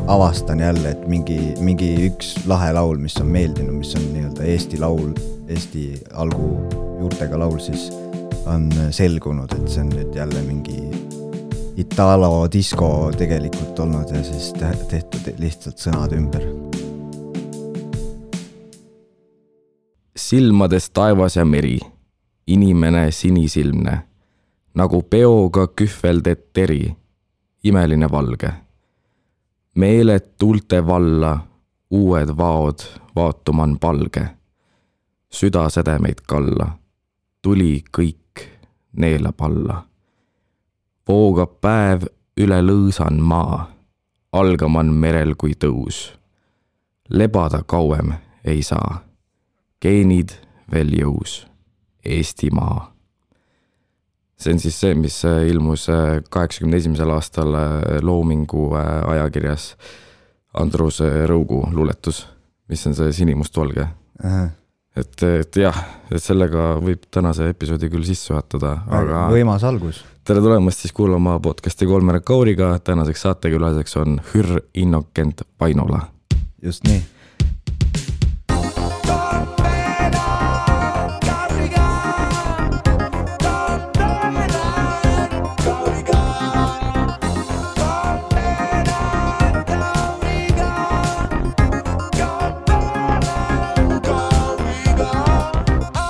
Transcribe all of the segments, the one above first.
avastan jälle, et mingi üks lahe laul, mis on meeldinud, mis on nii-öelda Eesti laul, Eesti algu juurtega laul, siis on selgunud, et see on nüüd jälle mingi Italo disko tegelikult olnud ja siis tehtud lihtsalt sõnad ümber. Silmades taevas ja meri, inimene sinisilmne, nagu peoga kühvelded teri, imeline valge. Meeled tuulte valla, uued vaod, vaatuman palge. Süda sädemeid kalla, tuli kõik neelab alla. Voogab päev üle lõõsan maa, algaman merel kui tõus. Lebada kauem ei saa, geenid veel jõus, Eestimaa. See on siis see, mis ilmus 81. aastal Loomingu ajakirjas Andrus Rõugu luuletus, mis on see sinimustvalge. Et jah, et sellega võib tänase episoodi küll sisse juhatada, aga võimas algus. Tere tulemast siis kuulama podcasti Kolmere Kauriga. Tänaseks saatekülaseks on Hür Innokent Vainola. Just nii.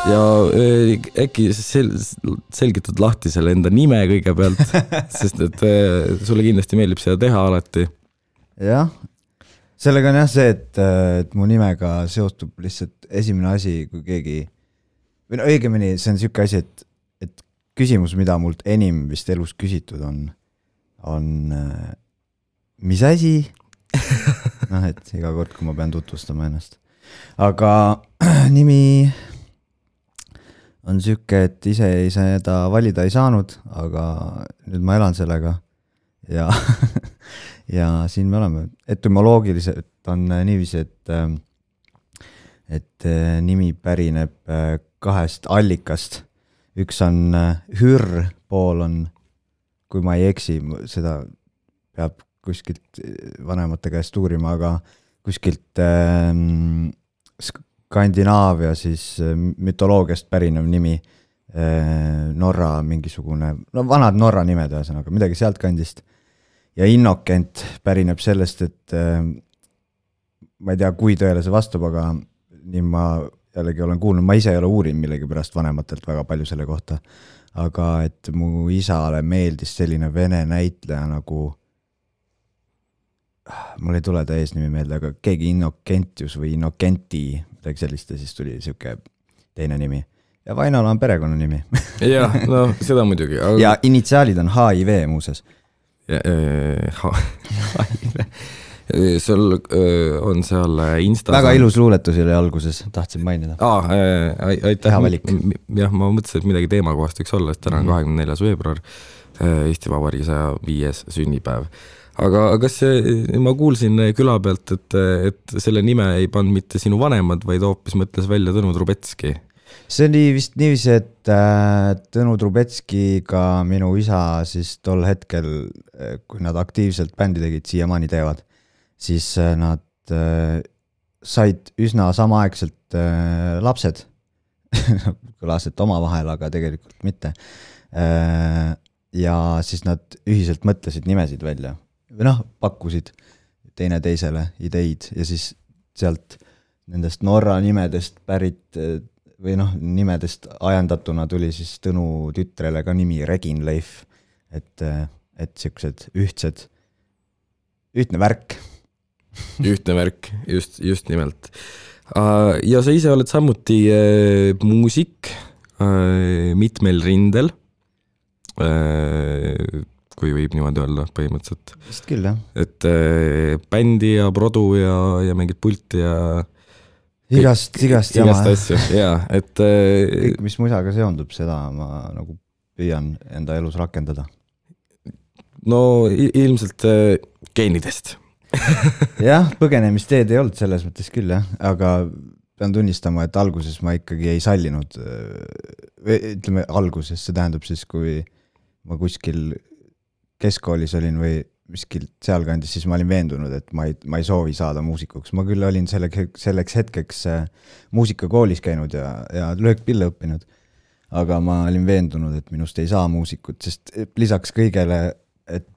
Ja äkki selgitad lahti selle enda nime kõigepealt, sest et sulle kindlasti meeldib seda teha alati. Jah, sellega on jah see, et mu nimega seostub lihtsalt esimene asi, kui keegi, või no õigemini see on siuke asi, et küsimus, mida mult enim vist elus küsitud on mis asi? Et iga kord, kui ma pean tutvustama ennast. Aga nimi on siuke, et ise ei seda valida ei saanud, aga nüüd ma elan sellega ja, ja siin me oleme. Etymoloogiliselt on niiviisi, et nimi pärineb kahest allikast. Üks on hür, pool on, kui ma ei eksi, seda peab kuskilt vanemate käest uurima, aga kuskilt Skandinaavia siis mütoloogiast pärinev nimi, Norra mingisugune, no vanad Norra nimed ühesõnaga, midagi sealt kandist. Ja Innokent pärineb sellest, et ma ei tea, kui tõele see vastab, aga nii ma jällegi olen kuulnud, ma ise ei ole uurinud millegi pärast vanematelt väga palju selle kohta, aga et mu isale meeldis selline vene näitleja nagu mul ei tule ta eesnimi meelde, aga keegi Innokentius või Innokenti, midagi sellist, ja siis tuli siuke teine nimi. Ja Vainola on perekonna nimi. Jah, no seda muidugi. Aga... Ja initsiaalid on HIV muuses. HIV. Sul on seal Insta... Väga ilus luuletus oli alguses, tahtsin mainida. Aitäh. Teha valik. Jah, ma mõtlesin, et midagi teemakohast võiks olla, et täna on 24. veebruar, Eesti Vabariigi 105. sünnipäev. Aga kas ma kuulsin küla pealt, et selle nime ei pannud mitte sinu vanemad, vaid hoopis mõtles välja Tõnu Trubetski? See oli vist niiviisi, et Tõnu Trubetskiga minu isa siis tol hetkel, kui nad aktiivselt bändi tegid, siiamaani teevad, siis nad said üsna samaaegselt lapsed. Kõlas, et oma vahel, aga tegelikult mitte. Ja siis nad ühiselt mõtlesid nimesid välja. Või pakkusid teine teisele ideid ja siis sealt nendest Norra nimedest pärit või nimedest ajendatuna tuli siis Tõnu tütrele ka nimi Regin Leif, et siuksed ühtne värk. Ühtne värk, just nimelt. Ja sa ise oled samuti muusik mitmel rindel, kui võib niimoodi öelda põhimõtteliselt. Vist küll, jah. Et bändi ja produ ja mingid pulti ja igast asju. Ja, et kõik, mis muisaga seondub, seda ma nagu püüan enda elus rakendada. No ilmselt geenidest. Jah, põgenemisteed ei olnud selles mõttes küll, jah. Aga pean tunnistama, et alguses ma ikkagi ei sallinud, ütleme alguses, see tähendab siis, kui ma kuskil keskkoolis olin või miskilt sealkandis, siis ma olin veendunud, et ma ei soovi saada muusikuks. Ma küll olin selleks hetkeks muusikakoolis käinud ja löökpille õppinud, aga ma olin veendunud, et minust ei saa muusikut, sest lisaks kõigele, et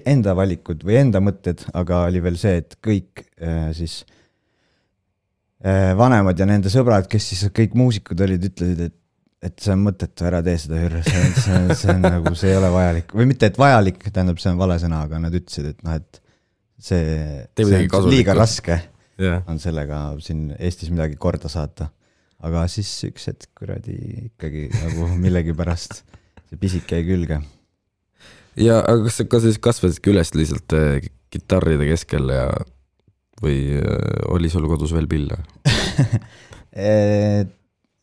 enda valikud või enda mõtted, aga oli veel see, et kõik siis vanemad ja nende sõbrad, kes siis kõik muusikud olid, ütlesid, et see on mõttetu, ära tee seda hürre, see on nagu, see ei ole vajalik. Või mitte, et vajalik, tähendab, see on vale sõna, aga nad ütlesid, et noh, et see on liiga raske on sellega siin Eestis midagi korda saata. Aga siis üks hetk kuradi ikkagi nagu millegi pärast see pisik jäi külge. Ja aga kas siis kasvasidki üles lihtsalt kitarride keskel või oli sul kodus veel pille?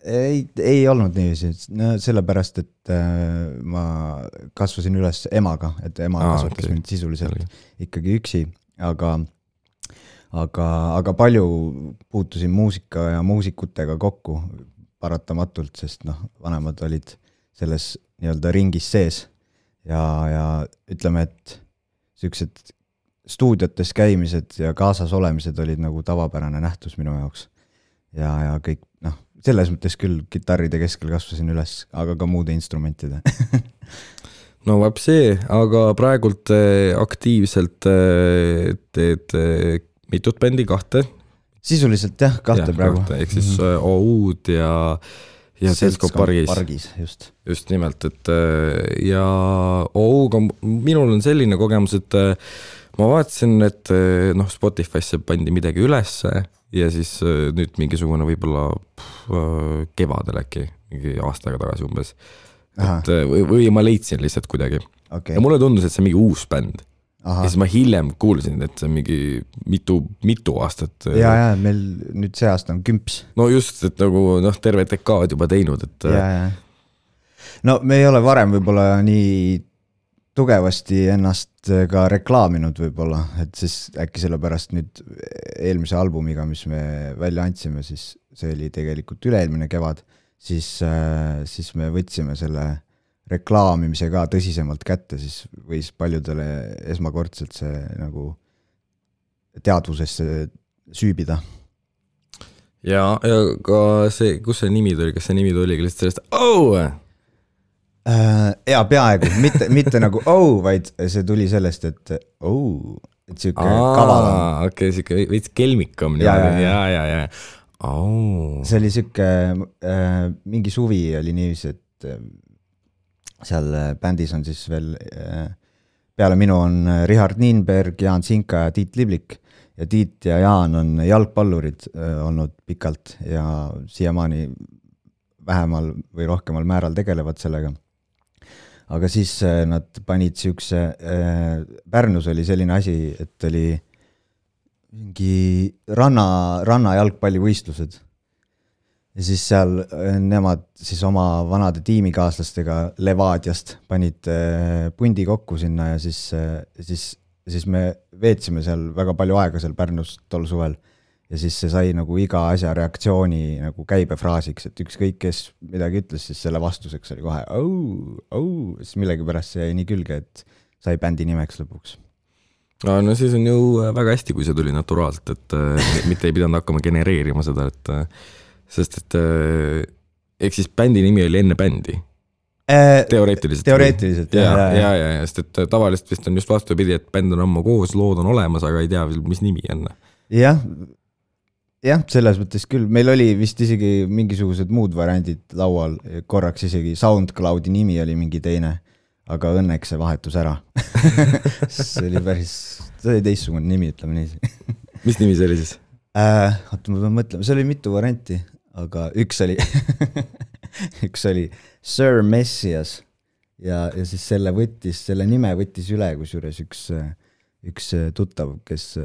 Ei olnud niiviisi, sellepärast, et ma kasvasin üles emaga, et ema kasvatas mind sisuliselt ikkagi üksi, aga palju puutusin muusika ja muusikutega kokku paratamatult, sest vanemad olid selles nii-öelda ringis sees ja ütleme, et sellised stuudiotes käimised ja kaasas olemised olid nagu tavapärane nähtus minu jaoks ja kõik, selles mõttes küll kitarride keskel kasvasin üles, aga ka muude instrumentide. No vaeb see, aga praegult aktiivselt teed mitut bändi, 2? Sisuliselt jah, 2 praegu. Ehk siis OU-d ja Seltskond Pargis. Just nimelt, et ja OU-ga minul on selline kogemus, et ma vaatasin, et Spotify'sse pandi midagi ülesse ja siis nüüd mingisugune võib-olla kevadel äkki, mingi aastaga tagasi umbes. Et, või ma leidsin lihtsalt kuidagi. Okay. Ja mulle tundus, et see on mingi uus bänd. Ja siis ma hiljem kuulsin, et see on mingi mitu aastat. Ja, meil nüüd see aasta on 10. No just, et nagu terve dekaad juba teinud. Et... Ja. No me ei ole varem võib-olla nii tugevasti ennast ka reklaaminud võib-olla, et siis äkki sellepärast nüüd eelmise albumiga, mis me välja andsime, siis see oli tegelikult üle-eelmine kevad, siis me võtsime selle reklaamimise ka tõsisemalt kätte, siis võis paljudele esmakordselt see nagu teadvusesse süübida. Ja ka see, kus see nimi tuli, kas see nimi tuli lihtsalt sellest ja peaaegu, mitte nagu vaid see tuli sellest, et siuke kaval. Okei, siuke veits kelmikam. Ja. See oli siuke, mingi suvi oli niivis, et seal bändis on siis veel, peale minu on Richard Nienberg, Jaan Sinka ja Tiit Liblik. Ja Tiit ja Jaan on jalgpallurid olnud pikalt ja siiamaani vähemal või rohkemal määral tegelevad sellega. Aga siis nad panid siukse, Pärnus oli selline asi, et oli mingi ranna jalgpallivõistlused. Ja siis seal nemad siis oma vanade tiimikaaslastega Levadiast panid pundi kokku sinna ja siis me veetsime seal väga palju aega seal Pärnus tol suvel. Ja siis see sai nagu iga asja reaktsiooni nagu käibefraasiks, et ükskõik kes midagi ütles, siis selle vastuseks oli kohe siis millegi pärast see jäi nii külge, et sai bändi nimeks lõpuks. No siis on ju väga hästi, kui see tuli naturaalselt, et mitte ei pidanud hakkama genereerima seda, sest et ehk siis bändi nimi oli enne bändi. Teoreetiliselt. Ja, sest et tavaliselt vist on just vastupidi, et bänd on ammu koos, lood on olemas, aga ei tea, mis nimi on. Jah, selles mõttes küll. Meil oli vist isegi mingisugused muud variandid laual, korraks isegi SoundCloudi nimi oli mingi teine, aga õnneks see vahetus ära. See oli teistsugune nimi, ütleme nii. Mis nimi see oli siis? Oota, ma pean mõtlema, see oli mitu varianti, aga üks oli Sir Messias ja siis selle nime võttis üle, kusjuures üks tuttav, kes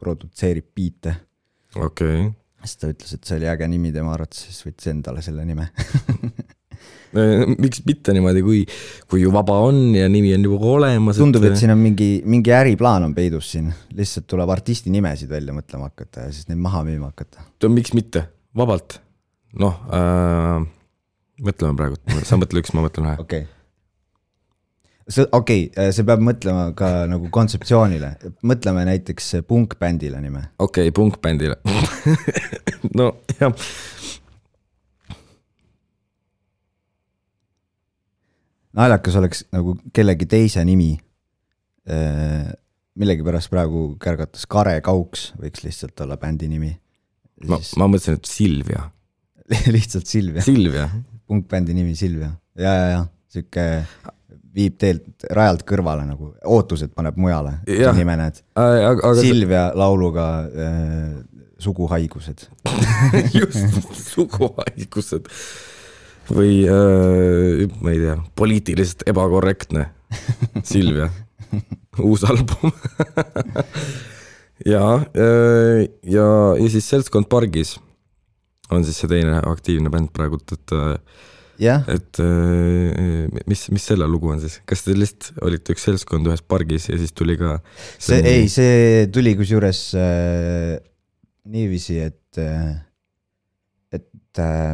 produtseerib biite. Okei. Siis ta ütles, et see oli äge nimi tema arvates, siis võttis endale selle nime. Miks mitte niimoodi, kui ju vaba on ja nimi on juba olemas? Tundub, et siin on mingi äriplaan on peidus siin. Lihtsalt tuleb artisti nimesid välja mõtlema hakata ja siis neid maha müüma hakata. Miks mitte? Vabalt. Mõtleme praegu. Sa mõtle üks, ma mõtlen ühe. Okei. Okei, see peab mõtlema ka nagu kontseptsioonile. Mõtleme näiteks punkbändile nime. Okei, punkbändile. No, jah. Naljakas oleks nagu kellegi teise nimi. Millegi pärast praegu kärgatas Kare Kauks, võiks lihtsalt olla bändi nimi. Ma mõtlesin, et Silvia. Lihtsalt Silvia. Silvia. Punkbändi nimi Silvia. Ja. Siuke viib teelt rajalt kõrvale nagu. Ootused paneb mujale. Nime näed. Silvia lauluga suguhaigused. Just, suguhaigused. Või, ma ei tea, poliitiliselt ebakorrektne. Silvia. Uus album. ja siis Seltskond Pargis on siis see teine aktiivne bänd praegult, et mis selle lugu on siis? Kas te lihtsalt olite üks seltskond ühes pargis ja siis tuli ka see tuli kusjuures niiviisi, et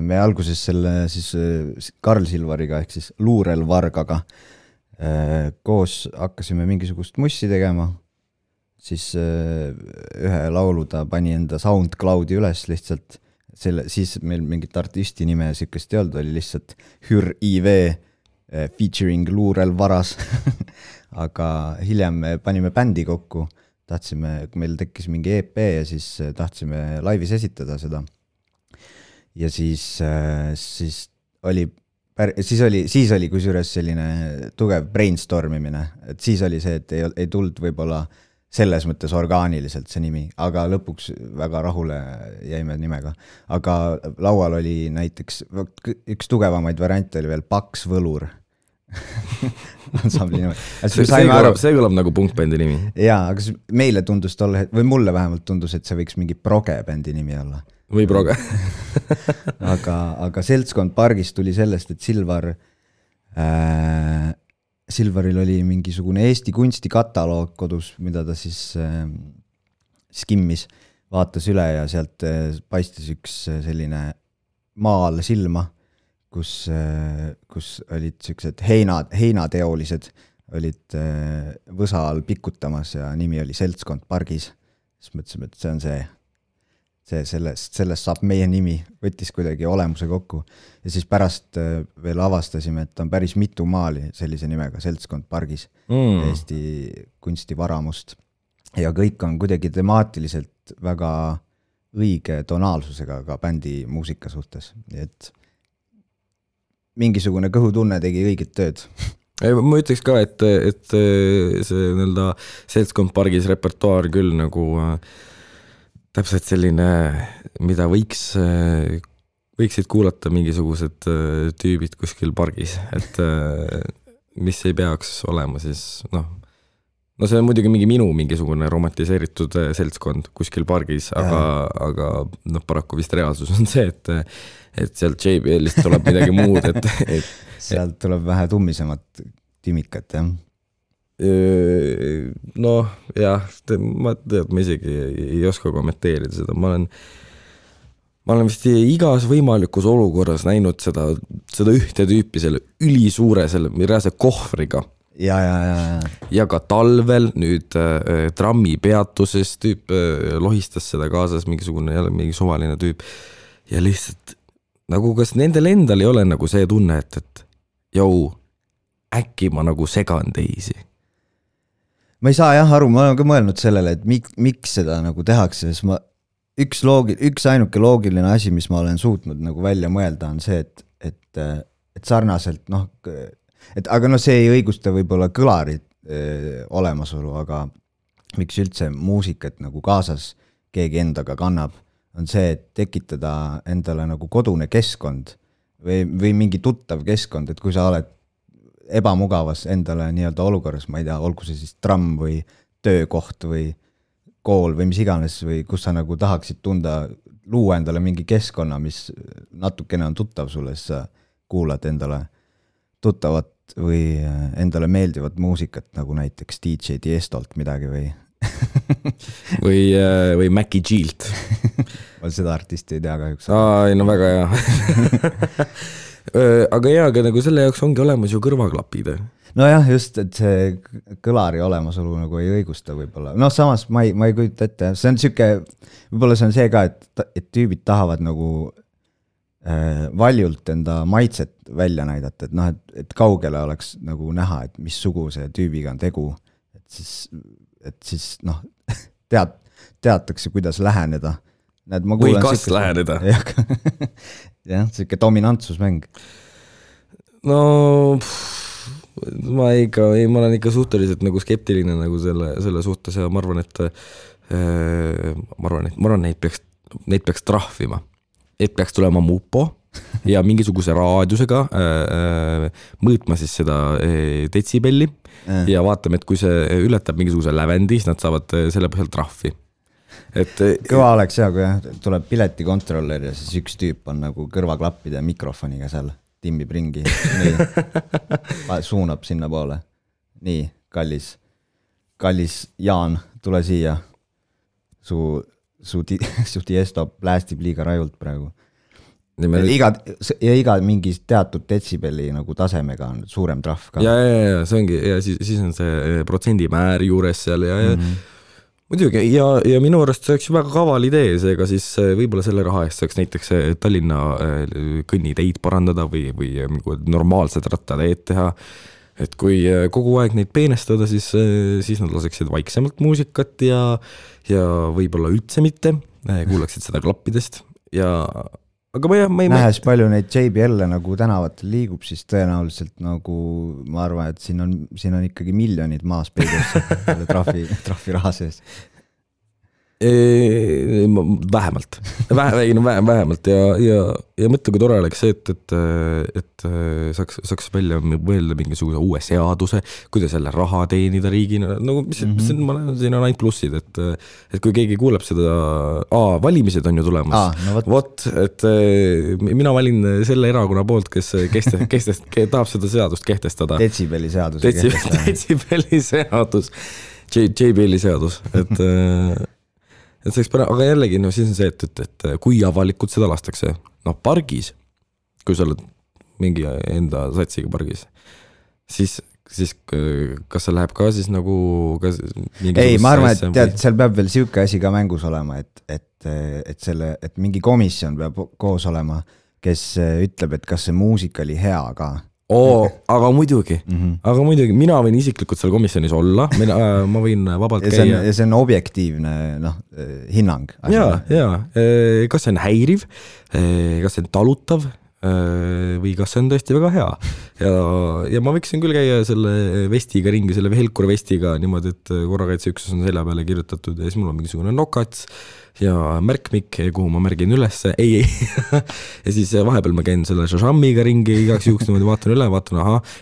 me alguses selle siis Karl Silvariga ehk siis Luurel Vargaga koos hakkasime mingisugust mussi tegema, siis ühe laulu ta pani enda SoundCloudi üles lihtsalt, siis meil mingit artisti nime siukest ei olnud, oli lihtsalt Hür IV featuring Luurel Varas. Aga hiljem panime bändi kokku, meil tekkis mingi EP ja siis tahtsime laivis esitada seda. Ja siis oli kusjuures selline tugev brainstormimine, et siis oli see, et ei tulnud võib-olla selles mõttes orgaaniliselt see nimi, aga lõpuks väga rahule jäime nimega. Aga laual oli näiteks, üks tugevamaid variante oli veel Paks Võlur. See kõlab nagu punkbändi nimi. Jaa, aga meile tundus tolle, või mulle vähemalt tundus, et see võiks mingi progebändi nimi olla. Või proge. aga Seltskond Pargis tuli sellest, et Silvaril oli mingisugune Eesti kunstikataloog kodus, mida ta siis skimmis, vaatas üle ja sealt paistis üks selline maal silma, kus olid sellised heinateolised, olid võsa all pikutamas ja nimi oli Seltskond Pargis. Siis mõtlesime, et see on see. Sellest saab meie nimi, võttis kuidagi olemuse kokku ja siis pärast veel avastasime, et on päris mitu maali sellise nimega Seltskond Pargis Eesti kunstivaramust ja kõik on kuidagi temaatiliselt väga õige tonaalsusega ka bändi muusika suhtes, nii et mingisugune kõhutunne tegi õiget tööd. Ma ütleks ka, et see nii-öelda Seltskond Pargis repertuaar küll nagu täpselt selline, mida võiksid kuulata mingisugused tüübid kuskil pargis, et mis ei peaks olema siis, no see on muidugi mingisugune romantiseeritud seltskond kuskil pargis, aga paraku vist reaalsus on see, et sealt JBL-ist tuleb midagi muud, et sealt tuleb vähe tummisemat timikat, jah. Noh, jah, ma isegi ei oska kommenteerida seda, ma olen vist igas võimalikus olukorras näinud seda ühte tüüpi selle ülisuure, selle reaalse kohvriga. Ja ka talvel nüüd trammi peatuses tüüp lohistas seda kaasas mingi suvaline tüüp ja lihtsalt nagu kas nendel endal ei ole nagu see tunne, et äkki ma nagu segan teisi. Ma ei saa jah aru, ma olen ka mõelnud sellele, et miks seda nagu tehakse, sest üks ainuke loogiline asi, mis ma olen suutnud nagu välja mõelda, on see, et sarnaselt, aga see ei õigusta võib-olla kõlarid olemasolu, aga miks üldse muusikat nagu kaasas keegi endaga kannab, on see, et tekitada endale nagu kodune keskkond või mingi tuttav keskkond, et kui sa oled ebamugavas endale nii-öelda olukorras, ma ei tea, olgu see siis tramm või töökoht või kool või mis iganes või kus sa nagu tahaksid luua endale mingi keskkonna, mis natukene on tuttav sulle, siis sa kuulad endale tuttavat või endale meeldivat muusikat, nagu näiteks DJ Tiestolt midagi või Mackie Gilt. Ma seda artisti ei tea kahjuks. No väga hea. Aga nagu selle jaoks ongi olemas ju kõrvaklapid. nojah, just, et see kõlari olemasolu nagu ei õigusta võib-olla. Noh, samas ma ei kujuta ette, see on siuke, võib-olla see on see ka, et tüübid tahavad nagu valjult enda maitset välja näidata, et noh, et kaugele oleks nagu näha, et missuguse tüübiga on tegu, et siis noh, teatakse, kuidas läheneda. Või kas läheneda. Jah, siuke dominantsusmäng. No ma olen ikka suhteliselt nagu skeptiline nagu selle suhtes ja ma arvan, et neid peaks trahvima. Et peaks tulema mupo ja mingisuguse raadiusega mõõtma siis seda detsibelli ja vaatame, et kui see ületab mingisuguse lävendi, siis nad saavad selle põhjal trahvi. Kõva oleks jah, kui tuleb piletikontroller ja siis üks tüüp on nagu kõrvaklappide ja mikrofoniga seal, timmib ringi, nii, suunab sinna poole. Nii, kallis Jaan, tule siia. Su tiesto plästib liiga rajult praegu. Iga mingi teatud detsibelli nagu tasemega on suurem trahv ka. Ja see ongi, ja siis on see protsendimäär juures seal ja muidugi, ja minu arust see oleks ju väga kaval idee, seega siis võib-olla selle raha eest saaks näiteks Tallinna kõnniteid parandada või normaalsed rattateed teha, et kui kogu aeg neid peenestada, siis nad laseksid vaiksemalt muusikat ja võib-olla üldse mitte, kuulaksid seda klappidest aga ma ei nähes palju neid JBL nagu tänavatel liigub, siis tõenäoliselt nagu ma arvan, et siin on ikkagi miljonid maas peidus trahvi raha sees. Vähemalt ja mõtle, kui tore oleks see, et saaks välja mõelda mingisuguse uue seaduse, kuidas jälle raha teenida riigina, nagu siin on ainult plussid, et kui keegi kuuleb seda, valimised on ju tulemas, et mina valin selle erakonna poolt, kes tahab seda seadust kehtestada. Detsibelli seadus. Detsibelli seadus, JBL-i seadus, et see aga jällegi, siis on see, et kui avalikult seda lastakse, pargis, kui sa oled mingi enda satsiga pargis, siis kas see läheb ka siis nagu ei, ma arvan, et tead, seal peab veel siuke asi ka mängus olema, et mingi komisjon peab koos olema, kes ütleb, et kas see muusika oli hea ka. Aga muidugi, mina võin isiklikult seal komisjonis olla, ma võin vabalt käia. Ja see on objektiivne hinnang. Kas see on häiriv, kas see on talutav või kas see on tõesti väga hea. Ja ma võiksin küll käia selle vestiga ringi, selle Helkur vestiga niimoodi, et korrakaitseüksus on selja peale kirjutatud ja siis mul on mingisugune nokats ja märkmik, kuhu ma märgin üles, ei. Ja siis vahepeal ma käin selle šašammiga ringi, igaks juhuks niimoodi vaatan üle, vaatan,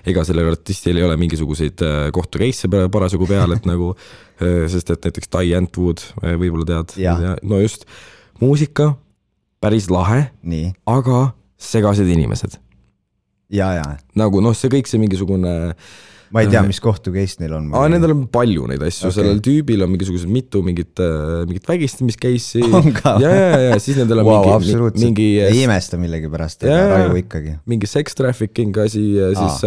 ega sellel artistil ei ole mingisuguseid kohtukeisse parasjagu peal, et nagu, sest et näiteks Tai Antwood võib-olla tead. No just, muusika, päris lahe, aga segased inimesed. Nagu see kõik see mingisugune ma ei tea, mis kohtu case neil on. Nendel on palju neid asju, sellel tüübil on mingisugused mitu mingit vägistamiscase'i. On ka? Ja siis nendel on mingi ei imesta millegi pärast, raju ikkagi. Mingi sex trafficking asi ja siis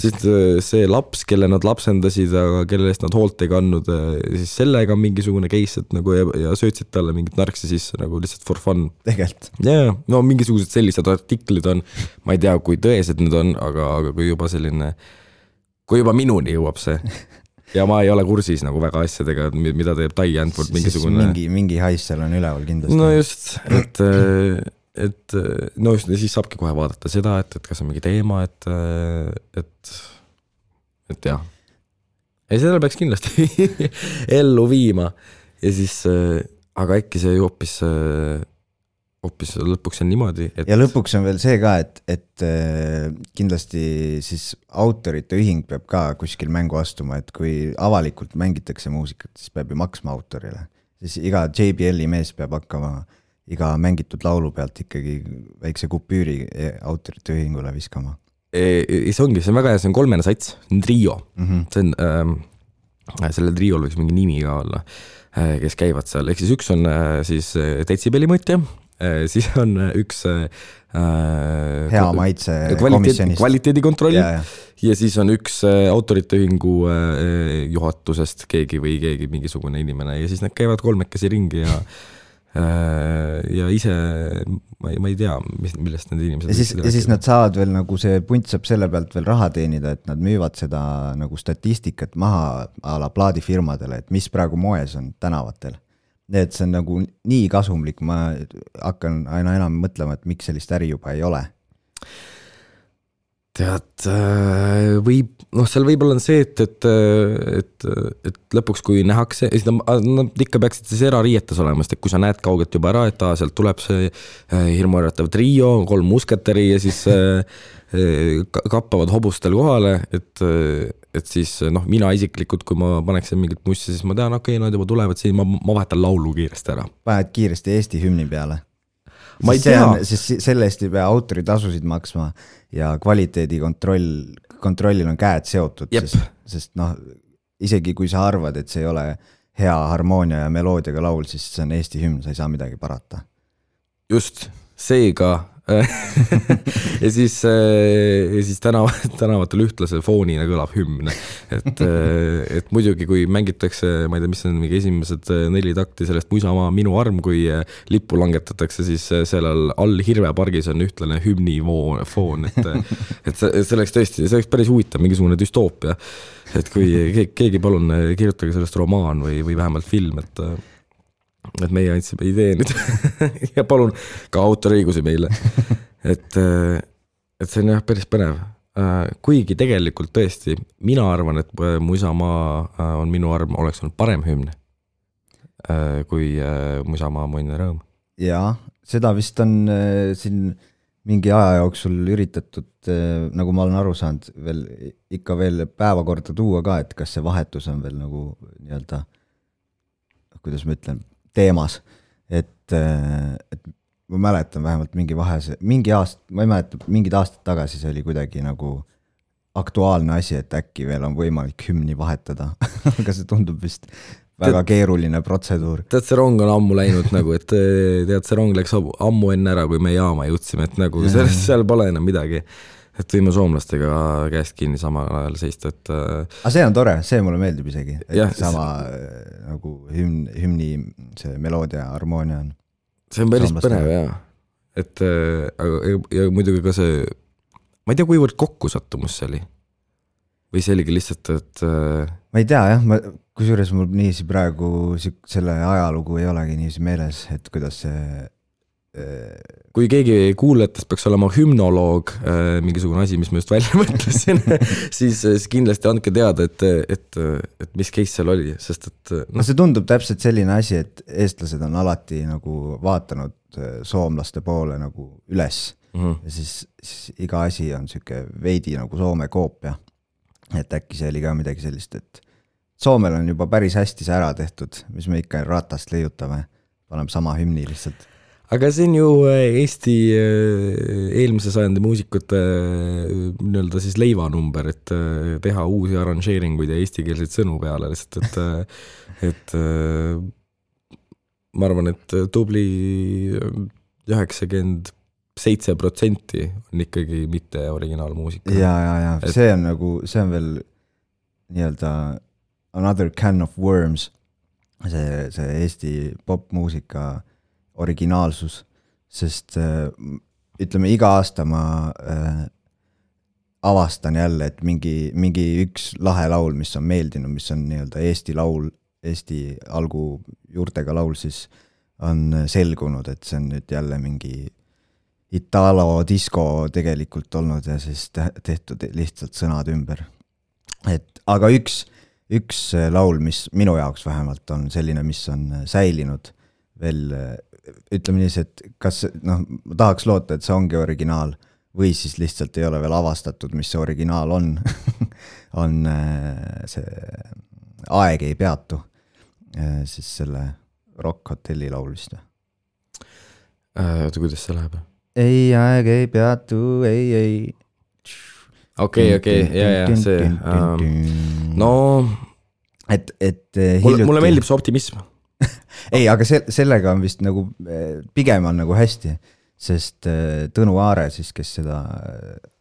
siis see laps, kelle nad lapsendasid, aga kelle eest nad hoolt ei kannud, siis sellega on mingisugune case, et nagu ja söötsid talle mingit narksi sisse nagu lihtsalt for fun. Tegelt. No mingisugused sellised artiklid on, ma ei tea, kui tõesed need on, aga kui juba minuni jõuab see ja ma ei ole kursis nagu väga asjadega, mida teeb Tai Antwoord mingisugune. Mingi hais seal on üleval kindlasti. No just, et siis saabki kohe vaadata seda, et kas on mingi teema, et jah. Ei, seda peaks kindlasti ellu viima ja siis, aga äkki see hoopis lõpuks on niimoodi. Ja lõpuks on veel see ka, et kindlasti siis autorite ühing peab ka kuskil mängu astuma, et kui avalikult mängitakse muusikat, siis peab ju maksma autorile. Siis iga JBL-i mees peab hakkama iga mängitud laulu pealt ikkagi väikse kupüüri autorite ühingule viskama. See on väga hea, see on 3 sats, trio. See on, sellel triol võiks mingi nimi ka olla, kes käivad seal. Ehk siis üks on siis detsibeli mõõtja, siis on üks hea maitse komisjonist kvaliteedikontroll ja siis on üks autorite ühingu juhatusest keegi mingisugune inimene ja siis nad käivad kolmekesi ringi ja ise ma ei tea, millest need inimesed ja siis nad saavad veel nagu see punt saab selle pealt veel raha teenida, et nad müüvad seda nagu statistikat maha a la plaadifirmadele, et mis praegu moes on tänavatel. Et see on nagu nii kasumlik, ma hakkan aina enam mõtlema, et miks sellist äri juba ei ole. Tead, seal võib-olla on see, et lõpuks kui nähakse, nad ikka peaksid siis erariietes olema, sest kui sa näed kaugelt juba ära, et sealt tuleb see hirmuäratav trio, 3 musketeri ja siis kappavad hobustel kohale, et siis mina isiklikult, kui ma paneksin mingit mussi, siis ma tean, okei, nad juba tulevad siin, ma vahetan laulu kiiresti ära. Paned kiiresti Eesti hümni peale. Ma ei tea. Siis selle eest ei pea autoritasusid maksma ja kvaliteedikontrollil on käed seotud, sest isegi kui sa arvad, et see ei ole hea harmoonia ja meloodiaga laul, siis see on Eesti hümn, sa ei saa midagi parata. Just, seega ja siis tänavatel ühtlase foonina kõlab hümn, et muidugi kui mängitakse, ma ei tea, mis on mingi esimesed 4 takti sellest Mu isamaa minu arm, kui lippu langetatakse, siis sellel all Hirvepargis on ühtlane hümni foon, et see oleks tõesti, see oleks päris huvitav, mingisugune düstoopia, et kui keegi palun kirjutage sellest romaan või vähemalt film, et meie andsime idee nüüd ja palun ka autoriõigusi meile. Et see on jah päris põnev. Kuigi tegelikult tõesti, mina arvan, et Mu isamaa on minu arm oleks olnud parem hümn kui Mu isamaa mu õnn ja rõõm. Jaa, seda vist on siin mingi aja jooksul üritatud, nagu ma olen aru saanud, ikka veel päevakorda tuua ka, et kas see vahetus on veel nagu nii-öelda, kuidas ma ütlen, teemas, et ma mäletan vähemalt mingi aast, ma ei mäleta, mingid aastad tagasi see oli kuidagi nagu aktuaalne asi, et äkki veel on võimalik hümni vahetada, aga see tundub vist väga keeruline protseduur. Tead, see rong on ammu läinud nagu, et tead, see rong läks ammu enne ära, kui me jaama jõudsime, et nagu seal pole enam midagi. Et võime soomlastega käest kinni samal ajal seista, et aga see on tore, see mulle meeldib isegi, et sama nagu hümni see meloodia, harmoonia on. See on päris põnev, jah. Et ja muidugi ka see, ma ei tea, kuivõrd kokkusattumus see oli. Või see oligi lihtsalt, et ma ei tea, jah, kusjuures mul niisi praegu selle ajalugu ei olegi niisi meeles, et kuidas see kui keegi kuulajatest peaks olema hümnoloog, mingisugune asi, mis ma just välja mõtlesin, siis kindlasti andke teada, et mis case seal oli, sest et see tundub täpselt selline asi, et eestlased on alati nagu vaatanud soomlaste poole nagu üles ja siis iga asi on siuke veidi nagu Soome koopia, et äkki see oli ka midagi sellist, et Soomel on juba päris hästi see ära tehtud, mis me ikka ratast leiutame, paneme sama hümni lihtsalt. Aga see on ju Eesti eelmise sajandi muusikute nii-öelda siis leivanumber, et teha uusi arranžeeringuid ja eestikeelseid sõnu peale, lihtsalt, et ma arvan, et tubli 97% on ikkagi mitte originaalmuusika. Ja, see on nagu, see on veel nii-öelda another can of worms, see Eesti popmuusika originaalsus, sest ütleme, iga aasta ma avastan jälle, et mingi üks lahe laul, mis on meeldinud, mis on nii-öelda Eesti laul, Eesti algu juurtega laul, siis on selgunud, et see on nüüd jälle mingi Italo disco tegelikult olnud ja siis tehtud lihtsalt sõnad ümber. Aga üks laul, mis minu jaoks vähemalt on selline, mis on säilinud veel, ütleme nii, et kas, ma tahaks loota, et see ongi originaal või siis lihtsalt ei ole veel avastatud, mis see originaal on, on see Aeg ei peatu, siis selle Rock Hotelli laul vist. Kuidas see läheb? Ei, aeg ei peatu, ei. Okei, ja, see. No, et mulle meeldib see optimism. ei, aga sellega on vist nagu, pigem on nagu hästi, sest Tõnu Aare siis, kes seda,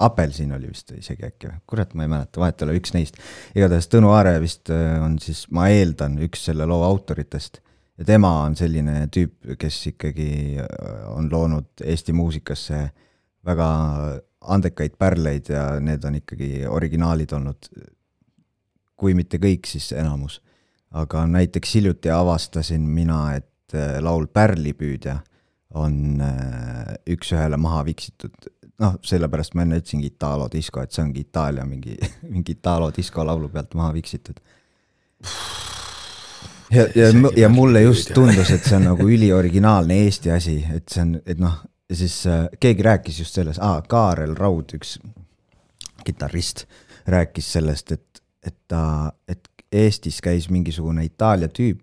Apelsin oli vist isegi äkki, kurat ma ei mäleta, vahet ole üks neist. Igatahes Tõnu Aare vist on siis, ma eeldan, üks selle loo autoritest ja tema on selline tüüp, kes ikkagi on loonud Eesti muusikasse väga andekaid pärleid ja need on ikkagi originaalid olnud, kui mitte kõik, siis enamus. Aga näiteks hiljuti avastasin mina, et laul Pärlipüüdja on üks ühele maha viksitud. Noh, sellepärast ma enne ütlesin Italo Disco, et see ongi Itaalia mingi Italo Disco laulu pealt maha viksitud. Ja mulle just tundus, et see on nagu ülioriginaalne Eesti asi, et see on, et noh, ja siis keegi rääkis just selles, Kaarel Raud, üks kitarrist, rääkis sellest, et Eestis käis mingisugune Itaalia tüüp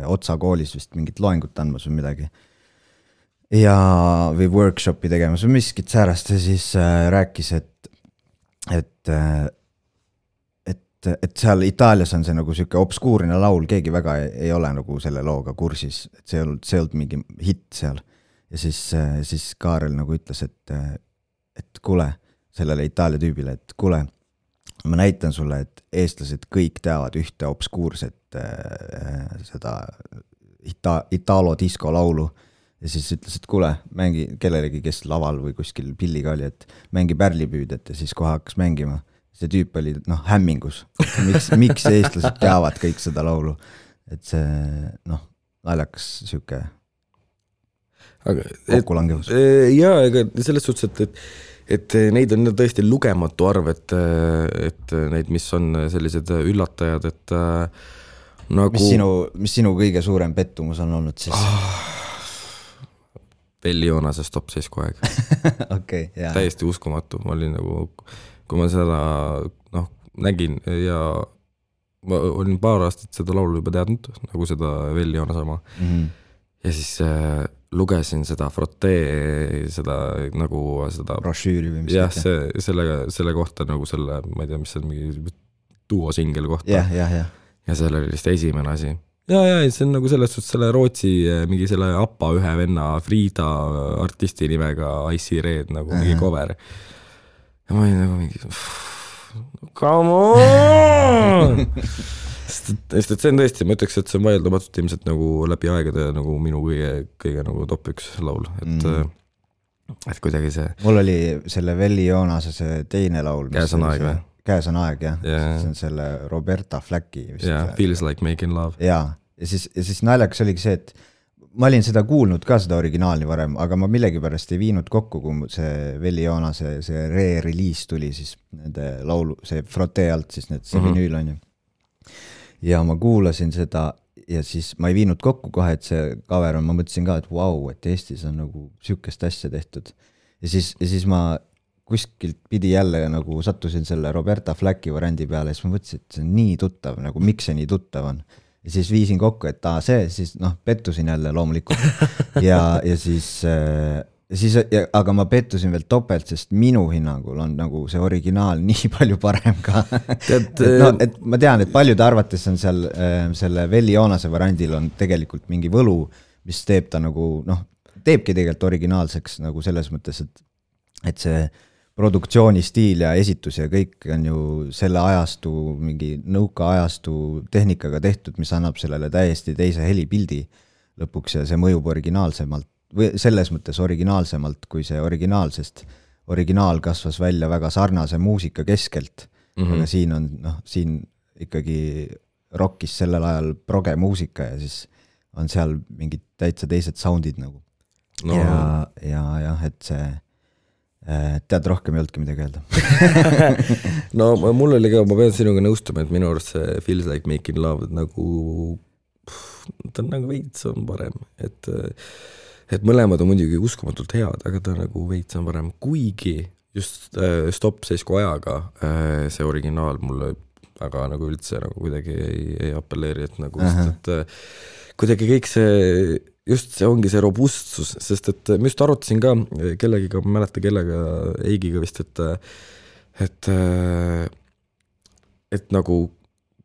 Otsa koolis vist mingit loengut andmas või midagi ja või workshopi tegemas või miskit säärast ja siis rääkis, et seal Itaalias on see nagu siuke obskuurne laul, keegi väga ei ole nagu selle looga kursis, et see ei olnud mingi hitt seal ja siis Kaarel nagu ütles, et kuule sellele Itaalia tüübile, et kuule, ma näitan sulle, et eestlased kõik teavad ühte obskuurset seda Italo Disco laulu ja siis ütles, et kuule, mängi kellelegi, kes laval või kuskil pilliga oli, et mängi Pärlipüüdjat ja siis kohe hakkas mängima. See tüüp oli hämmingus, miks eestlased teavad kõik seda laulu, et see naljakas siuke kokkulangevus. Jaa, ega selles suhtes, et neid on tõesti lugematu arv, et neid, mis on sellised üllatajad, et nagu... Mis sinu kõige suurem pettumus on olnud siis? Velli Joonase Stop seisku aeg. Okay, jaa. Täiesti uskumatu. Ma olin nagu, kui ma seda nägin ja ma olin paar aastat seda laulu juba teadnud, nagu seda Velli Joona sama. Ja siis lugesin seda Frotee, seda nagu seda brošüüri või mis jah, selle kohta nagu selle, ma ei tea, mis see on mingi duosingel kohta ja selle oli vist esimene asi ja see on nagu selles suhtes selle Rootsi mingi selle Appa ühe venna Frida artisti nimega Icy Red nagu mingi cover ja ma olin nagu mingi come on sest et see on tõesti, ma ütleks, et see on vaieldamatult ilmselt nagu läbi aegade nagu minu kõige nagu top 1 laul, et kuidagi see... Mul oli selle Velli Joonase see teine laul. Käes on aeg või? Käes on aeg, jah. See on selle Roberta Flacki. Feels like making love. Ja siis naljakas oligi see, et ma olin seda kuulnud ka seda originaalni varem, aga ma millegipärast ei viinud kokku, kui see Velli Joonase see re-release tuli siis nende laulu, see Frotee alt siis need see vinüül on ju. Ja ma kuulasin seda ja siis ma ei viinud kokku kohe, et see cover on, ma mõtlesin ka, et vau, et Eestis on nagu siukest asja tehtud. Ja siis ma kuskilt pidi jälle nagu sattusin selle Roberta Flacki variandi peale ja siis ma mõtlesin, et see on nii tuttav, nagu miks see nii tuttav on. Ja siis viisin kokku, et siis pettusin jälle loomulikult ja siis aga ma pettusin veel topelt, sest minu hinnangul on nagu see originaal nii palju parem ka. et ma tean, et paljude arvates on seal selle Velli Joonase variandil on tegelikult mingi võlu, mis teeb ta nagu, teebki tegelikult originaalseks nagu selles mõttes, et see produktsioonistiil ja esitus ja kõik on ju selle ajastu, mingi nõuka ajastu tehnikaga tehtud, mis annab sellele täiesti teise helipildi lõpuks ja see mõjub originaalsemalt või selles mõttes originaalsemalt kui see originaal, sest originaal kasvas välja väga sarnase muusika keskelt, aga siin on, siin ikkagi rockis sellel ajal proge muusika ja siis on seal mingid täitsa teised soundid nagu. Ja et see tead rohkem ei olnudki midagi öelda. No mul oli ka, ma pean sinuga nõustuma, et minu arust see Feels Like Making Love nagu, ta on nagu veits on parem, et mõlemad on muidugi uskumatult head, aga ta nagu veits on parem, kuigi just Stop seisku ajaga see originaal mulle aga nagu üldse nagu kuidagi ei appelleeri, et nagu et kuidagi kõik see just see ongi see robustsus, sest et ma just arutasin ka kellegiga, ma mäleta kellega, Eigiga vist, et nagu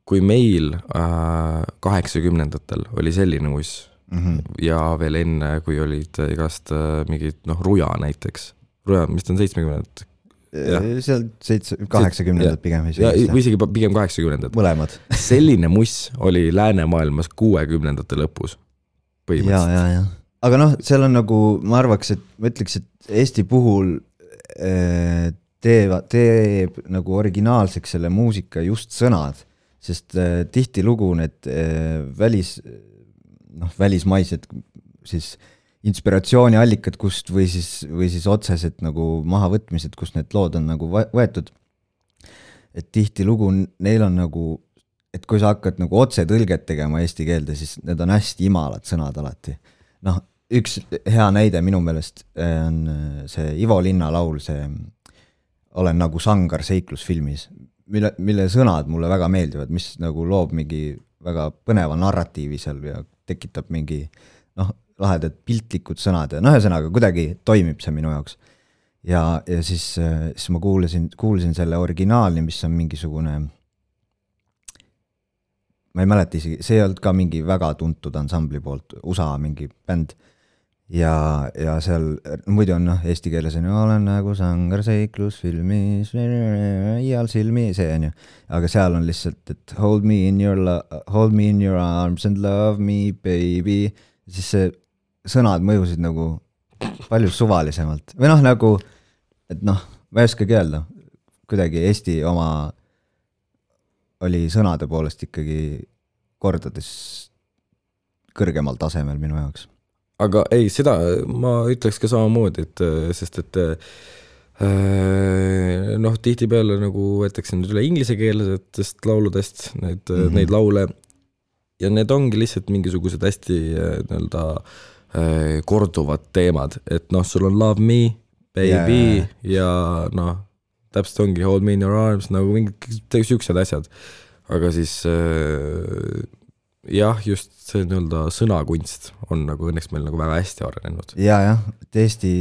kui meil 80-ndatel oli selline muss ja veel enne, kui olid igast mingid, Ruja näiteks. Ruja, mis on 70-ndad? Seal 80-ndad pigem. Või isegi pigem 80-ndad. Mõlemad. Selline muss oli läänemaailmas 60-ndate lõpus. Ja. Aga seal on nagu, ma arvaks, et ma ütleks, et Eesti puhul teeb nagu originaalseks selle muusika just sõnad, sest tihti lugu need välismaised siis inspiratsiooniallikad, kust või siis otsesed nagu mahavõtmised, kus need lood on nagu võetud. Et tihti lugu neil on nagu, et kui sa hakkad nagu otse tõlget tegema eesti keelde, siis need on hästi imalad sõnad alati. Üks hea näide minu meelest on see Ivo Linna laul, see Olen nagu sangar seiklusfilmis, mille sõnad mulle väga meeldivad, mis nagu loob mingi väga põneva narratiivi seal ja tekitab mingi lahedad piltlikud sõnad ja ühesõnaga kuidagi toimib see minu jaoks. Ja siis ma kuulsin selle originaali, mis on mingisugune, ma ei mäleta isegi, see ei olnud ka mingi väga tuntud ansambli poolt, USA mingi bänd. Ja seal muidu on eesti keeles on Olen nagu sangar seiklusfilmis ial silmi, see on ju, aga seal on lihtsalt, et hold me in your arms and love me baby, siis see sõnad mõjusid nagu palju suvalisemalt või nagu, et ma ei oskagi öelda, kuidagi Eesti oma oli sõnade poolest ikkagi kordades kõrgemal tasemel minu jaoks. Aga ei, seda ma ütleks ka samamoodi, sest tihti peale nagu võetakse nüüd üle inglisekeelsetest lauludest neid laule ja need ongi lihtsalt mingisugused hästi korduvad teemad, et sul on love me, baby ja täpselt ongi hold me in your arms, nagu mingid siuksed asjad, aga siis jah, just see sõnakunst on nagu õnneks meil nagu väga hästi arenenud. Ja, et Eesti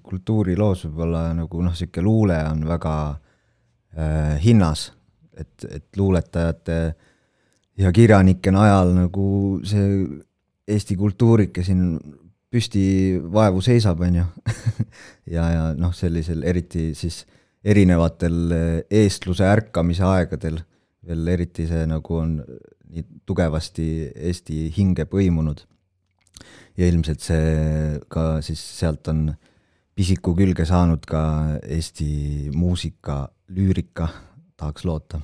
kultuuriloos võib-olla nagu siuke luule on väga hinnas, et luuletajate ja kirjanikena ajal nagu see Eesti kultuurike siin püsti vaevu seisab, on ju. ja sellisel eriti siis erinevatel eestluse ärkamise aegadel veel eriti see nagu on nii tugevasti Eesti hinge põimunud. Ja ilmselt see ka siis sealt on pisiku külge saanud ka Eesti muusika, lüürika, tahaks loota.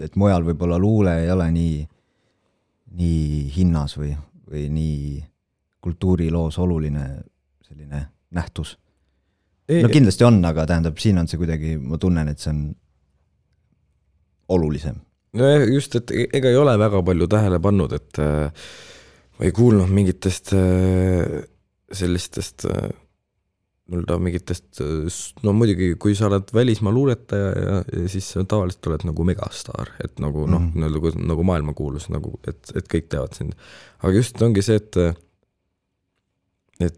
Et mujal võib-olla luule ei ole nii hinnas või nii kultuuriloos oluline selline nähtus. Kindlasti on, aga tähendab, siin on see kuidagi, ma tunnen, et see on olulisem. No just, et ega ei ole väga palju tähele pannud, et ma ei kuulnud mingitest sellistest mingitest, muidugi kui sa oled välismaa luuletaja ja siis tavaliselt oled nagu megastaar, et nagu nagu maailmakuulus, nagu, et kõik teavad sind. Aga just ongi see, et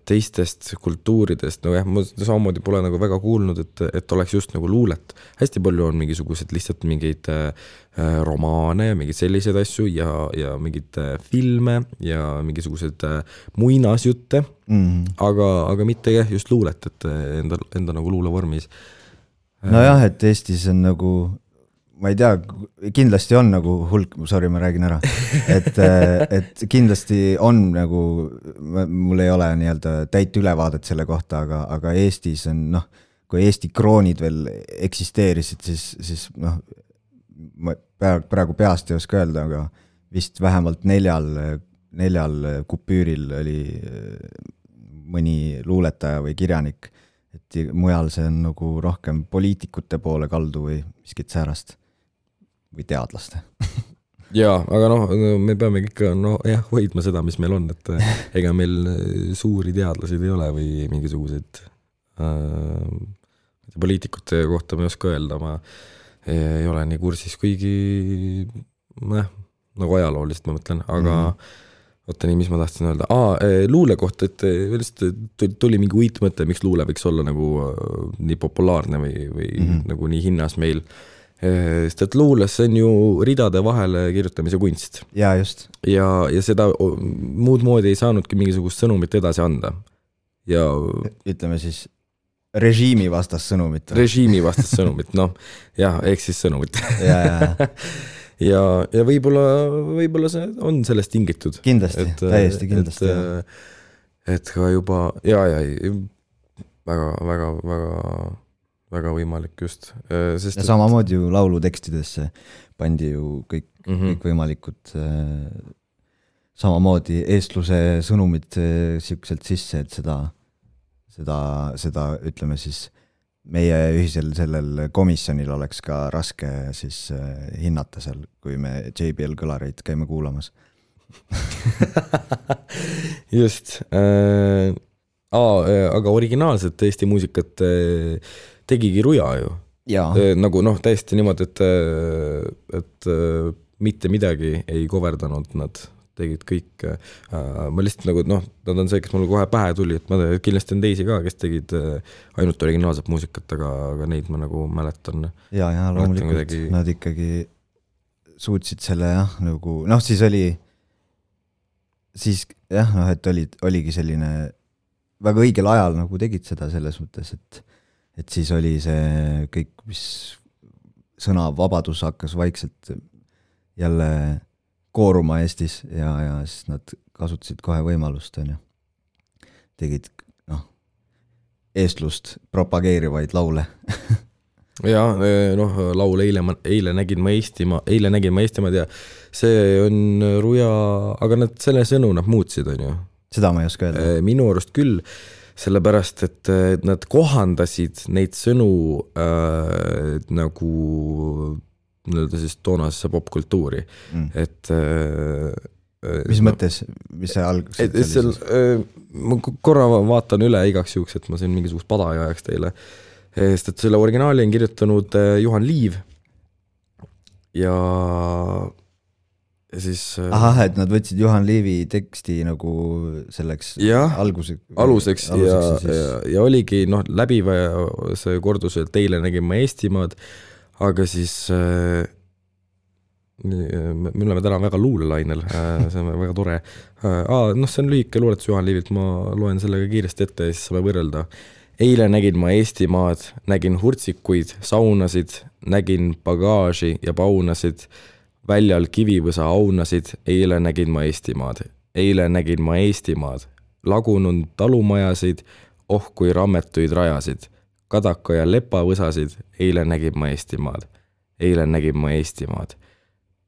teistest kultuuridest, ma samamoodi pole nagu väga kuulnud, et oleks just nagu luulet. Hästi palju on mingisugused lihtsalt mingeid romaane ja mingid sellised asju ja mingid filme ja mingisugused muinasjutte, aga mitte just luulet, et enda nagu luulevormis. Nojah, et Eestis on nagu, ma ei tea, kindlasti on nagu hulk, sorry, ma räägin ära, et kindlasti on nagu, mul ei ole täit ülevaadet selle kohta, aga Eestis on, kui Eesti kroonid veel eksisteerisid, siis ma praegu peast ei oska öelda, aga vist vähemalt neljal kupüüril oli mõni luuletaja või kirjanik, et mujal see on nagu rohkem poliitikute poole kaldu või miskit säärast või teadlaste. Jaa, aga me peame ikka hoidma seda, mis meil on, et ega meil suuri teadlasid ei ole või mingisugused poliitikute kohta ma ei oska öelda, ma ei ole nii kursis, kuigi nagu ajaloolist ma mõtlen, aga oota nii, mis ma tahtsin öelda. Luule kohta, et tuli mingi uitmõte, miks luule võiks olla nagu nii populaarne või nagu nii hinnas meil. sest et luules see on ju ridade vahele kirjutamise kunst. ja just. Ja seda muud moodi ei saanudki mingisugust sõnumit edasi anda. Ja ütleme siis režiimi vastast sõnumit. Režiimi vastast sõnumit, noh, jah, ehk siis sõnumit. ja võib-olla see on sellest tingitud. Kindlasti, täiesti kindlasti. Et ka juba, väga võimalik just. Ja samamoodi ju laulu tekstidesse pandi ju kõik võimalikud samamoodi eestluse sõnumid siukselt sisse, et seda ütleme siis meie ühisel sellel komisjonil oleks ka raske siis hinnata seal, kui me JBL kõlareid käime kuulamas. Just. Aga originaalset Eesti muusikat tegigi Ruja ju. Nagu täiesti niimoodi, et mitte midagi ei coverdanud nad. Tegid kõik, ma lihtsalt nagu, nad on see, kes mulle kohe pähe tuli, et ma kindlasti on teisi ka, kes tegid ainult originaalset muusikat, aga neid ma nagu mäletan. Ja loomulikult nad ikkagi suutsid selle nagu, siis oli et oligi selline väga õigel ajal nagu tegid seda selles mõttes, et siis oli see kõik, mis sõnavabadus hakkas vaikselt jälle kooruma Eestis ja siis nad kasutasid kohe võimalust, tegid eestlust propageerivaid laule. Ja laul eile nägin ma Eestimaad ja see on Ruja, aga nad selle sõnu nad muutsid, on ju. Seda ma ei oska öelda. Minu arust küll, sellepärast, et nad kohandasid neid sõnu nagu siis toonasesse popkultuuri. Et mis mõttes, mis see alguses ma korra vaatan üle igaks juhuks, et ma siin mingisugust pada ei ajaks teile. Sest et selle originaali on kirjutanud Juhan Liiv ja siis et nad võtsid Juhan Liivi teksti nagu selleks aluseks ja oligi läbiv see kordus, et teile nägin ma Eestimaad. Aga siis me oleme täna väga luulelainel, see on väga tore. See on lühike luuletus Juhan Liivilt, ma loen sellega kiiresti ette ja siis saame võrrelda. Eile nägin ma Eestimaad, nägin hurtsikuid, saunasid, nägin bagaaži ja paunasid, väljal kivivõsa aunasid, eile nägin ma Eestimaad. Eile nägin ma Eestimaad, lagunud talumajasid, kui rammetuid rajasid. Kadaka ja lepavõsasid, eile nägin ma Eestimaad. Eile nägin ma Eestimaad.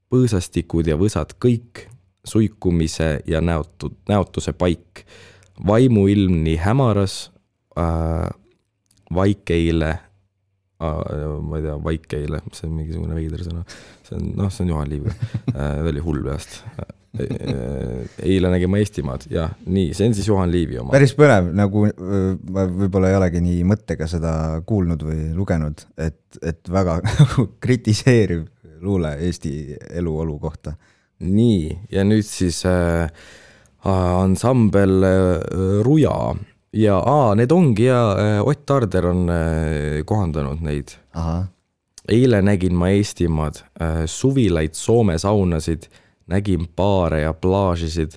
Põõsastikud ja võsad kõik, suikumise ja näotuse paik. Vaimuilm nii hämaras, vaikeile, ma ei tea, vaikeile, see on mingisugune veider sõna. See on Juhan Liiv. Ta oli hull peast. Eile nägin ma Eestimaad ja nii, see on siis Juhan Liivi oma. Päris põnev, nagu ma võib-olla ei olegi nii mõttega seda kuulnud või lugenud, et väga kritiseeriv luule Eesti eluolu kohta. Nii, ja nüüd siis ansambel Ruja ja need ongi ja Ott Tarder on kohandanud neid. Eile nägin ma Eestimaad, suvilaid Soome saunasid, nägin baare ja plaažisid,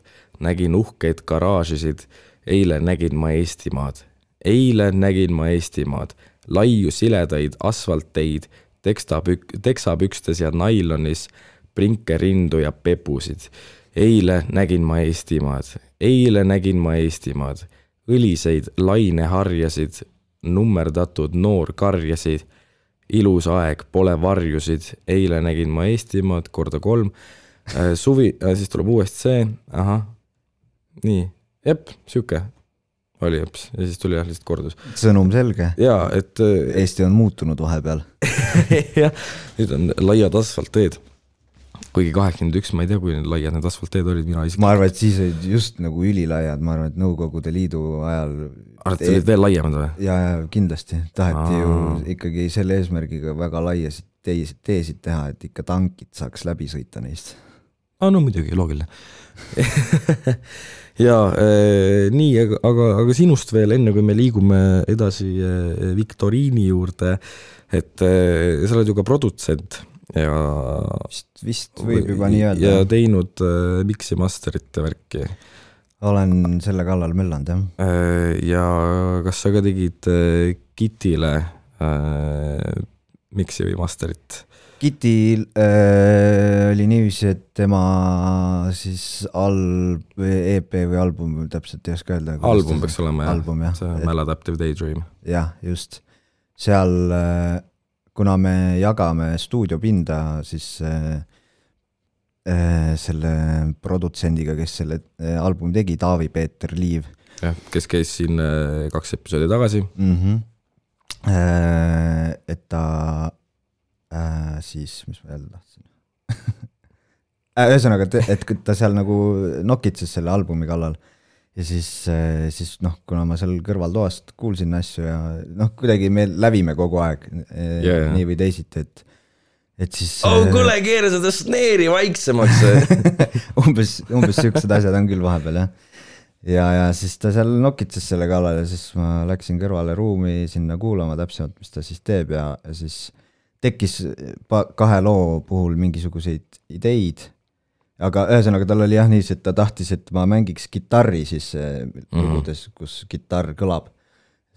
nägin uhkeid garaažisid, eile nägin ma Eestimaad. Eile nägin ma Eestimaad, laiu siledaid asfalteid, teksapükstes ja nailonis, prinkerindu ja pepusid. Eile nägin ma Eestimaad, eile nägin ma Eestimaad, õliseid laineharjasid, nummerdatud noorkarjasid, ilus aeg, pole varjusid, eile nägin ma Eestimaad, korda 3, suvi, siis tuleb uuesti see, nii, siuke oli jeps, ja siis tuli lihtsalt kordus. Sõnum selge. Ja, et Eesti on muutunud vahepeal. Ja, nüüd on laiad asfaltteed. Kuigi 81, ma ei tea, kui laiad need asfaltteed olid, mina isegi. Ma arvan, et siis olid just nagu ülilaiad, ma arvan, et Nõukogude Liidu ajal. Arvad, olid veel laiemad või? Ja, kindlasti. Taheti ju ikkagi selle eesmärgiga väga laiasid teesid teha, et ikka tankid saaks läbi sõita neist. No muidugi, loogiline. ja nii, aga sinust veel enne, kui me liigume edasi viktoriini juurde, et sa oled ju ka produtsent ja vist võib juba nii öelda. Ja teinud mixi masterite värki. Olen selle kallal möllanud, jah. Ja kas sa ka tegid Kitile mixi või masterit? Kitil oli niiviisi, et tema siis EP või album, täpselt ei oska öelda. Album peaks olema, album, jah. See Maladaptive Daydream. Jah, just. Seal, kuna me jagame stuudiopinda, siis selle produtsendiga, kes selle albumi tegi, Taavi-Peeter Liiv. Jah, kes käis siin 2 episoodi tagasi. Et ta siis, mis ma jälle tahtsin ühesõnaga, et ta seal nagu nokitses selle albumi kallal ja siis kuna ma seal kõrvaltoast kuulsin asju ja kuidagi me lävime kogu aeg nii või teisiti, et siis kuule, keera seda sneeri vaiksemaks umbes siuksed asjad on küll vahepeal, jah. Ja siis ta seal nokitses selle kallal ja siis ma läksin kõrvale ruumi sinna kuulama täpsemalt, mis ta siis teeb ja siis tekkis 2 loo puhul mingisuguseid ideid, aga ühesõnaga tal oli jah nii, et ta tahtis, et ma mängiks gitarri siis lugudes, kus gitarr kõlab.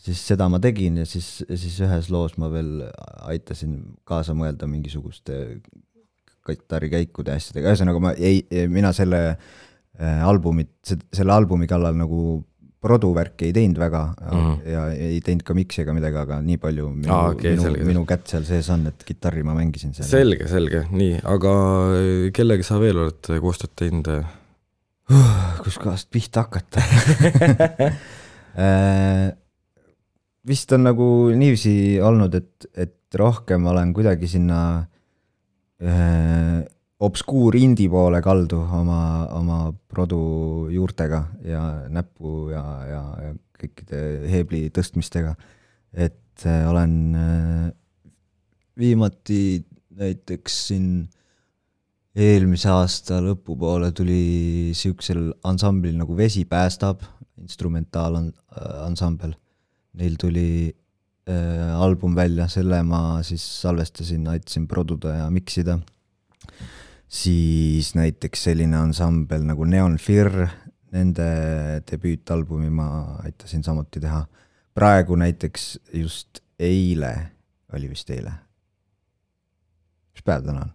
Siis seda ma tegin ja siis ühes loos ma veel aitasin kaasa mõelda mingisuguste gitarrikäikude asjadega. Ühesõnaga mina selle albumi kallal nagu produvärki ei teinud väga ja ei teinud ka miksi ega midagi, aga nii palju minu kätt seal sees on, et gitarri ma mängisin seal. Selge, nii, aga kellega sa veel oled koostööd teinud? Kus kohast pihta hakata? Vist on nagu niiviisi olnud, et rohkem olen kuidagi sinna obskuur indie poole kaldu oma produ juurtega ja näppu ja kõikide heebli tõstmistega. Et olen viimati näiteks siin eelmise aasta lõpupoole tuli siuksel ansamblil nagu Vesi päästab, instrumentaaalansambel. Neil tuli album välja, selle ma siis salvestasin, aitasin produda ja miksida. Siis näiteks selline ansambel nagu Neon Fear, nende debüütalbumi ma aitasin samuti teha. Praegu näiteks just eile, oli vist eile. Mis päev täna on?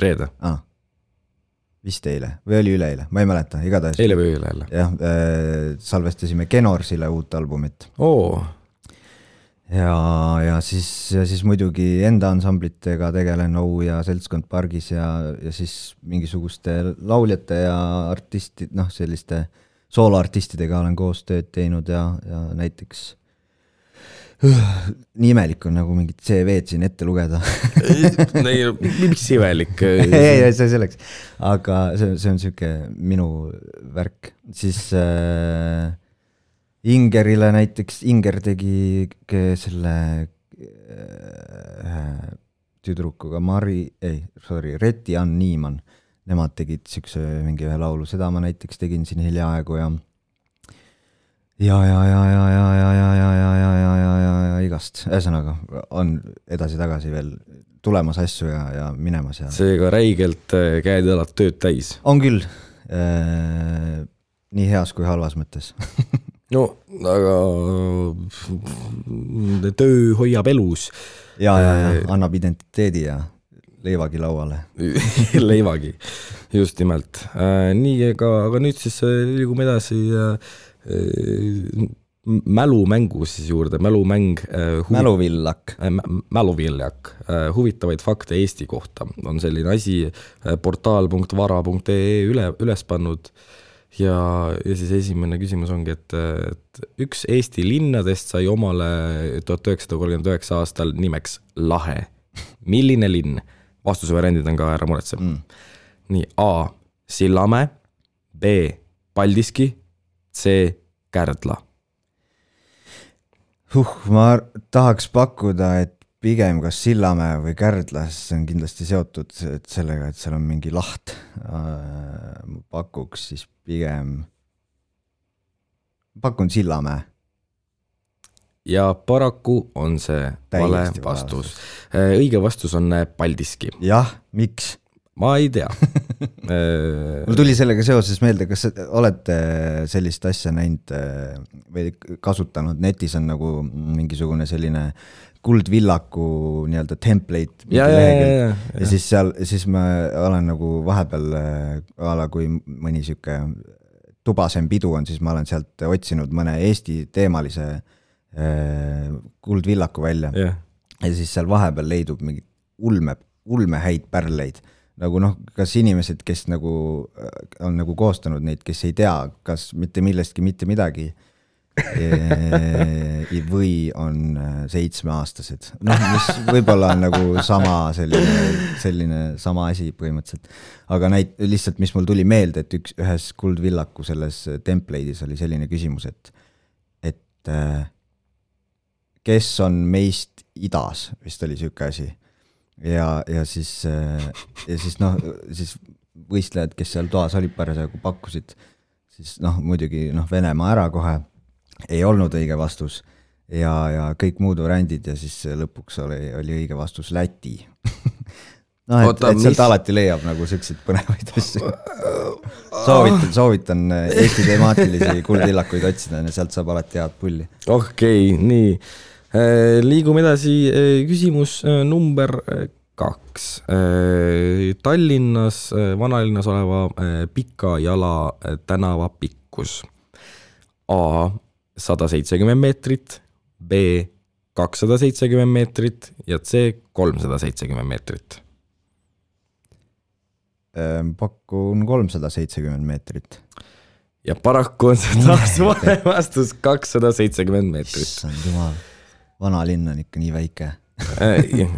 Reede. Vist eile, või oli üleeile, ma ei mäleta, igatahes. Eile või üleeile. Jah, salvestasime Genorsile uut albumit. Ja siis muidugi enda ansamblitega tegelen ja Seltskond pargis ja siis mingisuguste lauljate ja artistid, selliste sooloartistidega olen koos tööd teinud ja näiteks nii imelik on nagu mingid CV-d siin ette lugeda. Miks imelik? Ei, see selleks. Aga see on siuke minu värk. Siis Ingerile näiteks, Inger tegi selle tüdrukuga Reti Ann Niiman, nemad tegid siukse mingi ühe laulu, seda ma näiteks tegin siin hiljaaegu ja igast, ühesõnaga on edasi-tagasi veel tulemas asju ja minemas. Seega räigelt käed-jalad tööd täis. On küll, nii heas kui halvas mõttes. No, aga töö hoiab elus. Ja annab identiteedi ja leivagi lauale. Leivagi, just nimelt. Nii, aga nüüd siis liigume edasi mälumängu siis juurde. Mälumäng. Mäluvillak. Huvitavaid fakte Eesti kohta. On selline asi portaal.vara.ee üles pannud. Ja siis esimene küsimus ongi, et üks Eesti linnadest sai omale 1939 aastal nimeks Lahe. Milline linn? Vastuse variandid on ka ära muretseb. Nii, A. Sillamäe, B. Paldiski, C. Kärdla. Ma tahaks pakkuda, et pigem kas Sillamäe või Kärdla, see on kindlasti seotud sellega, et seal on mingi laht. Ma pakuks siis pigem pakun Sillamäe. Ja paraku on see vale Täiesti vastus. Õige vastus on Paldiski. Jah, miks? Ma ei tea. Mul tuli sellega seoses meelde, kas olete sellist asja näinud või kasutanud, netis on nagu mingisugune selline kuldvillaku nii-öelda template ja. Siis ma olen nagu vahepeal kui mõni siuke tubasem pidu on, siis ma olen sealt otsinud mõne Eesti teemalise kuldvillaku välja ja siis seal vahepeal leidub mingi ulme häid pärleid. Nagu kas inimesed, kes nagu on nagu koostanud neid, kes ei tea, kas mitte millestki mitte midagi või on 7-aastased. Mis võib-olla on nagu sama selline sama asi põhimõtteliselt. Aga lihtsalt, mis mul tuli meelde, et ühes kuldvillaku selles template'is oli selline küsimus, et kes on meist idas, vist oli siuke asi. Ja siis võistlejad, kes seal toas olid parasjagu pakkusid, siis muidugi Venemaa ära kohe ei olnud õige vastus ja kõik muud variandid ja siis lõpuks oli õige vastus Läti. Et sealt alati leiab nagu selliseid põnevaid asju. Soovitan Eesti temaatilisi kuldvillakuid otsida ja sealt saab alati head pulli. Okei, nii. Liigume edasi, küsimus number 2. Tallinnas, vanalinnas oleva Pika Jala tänava pikkus. A 170 meetrit, B 270 meetrit ja C 370 meetrit. Pakun 370 meetrit. Ja paraku on see taas vale vastus 270 meetrit. Issand jumal. Vana linn on ikka nii väike.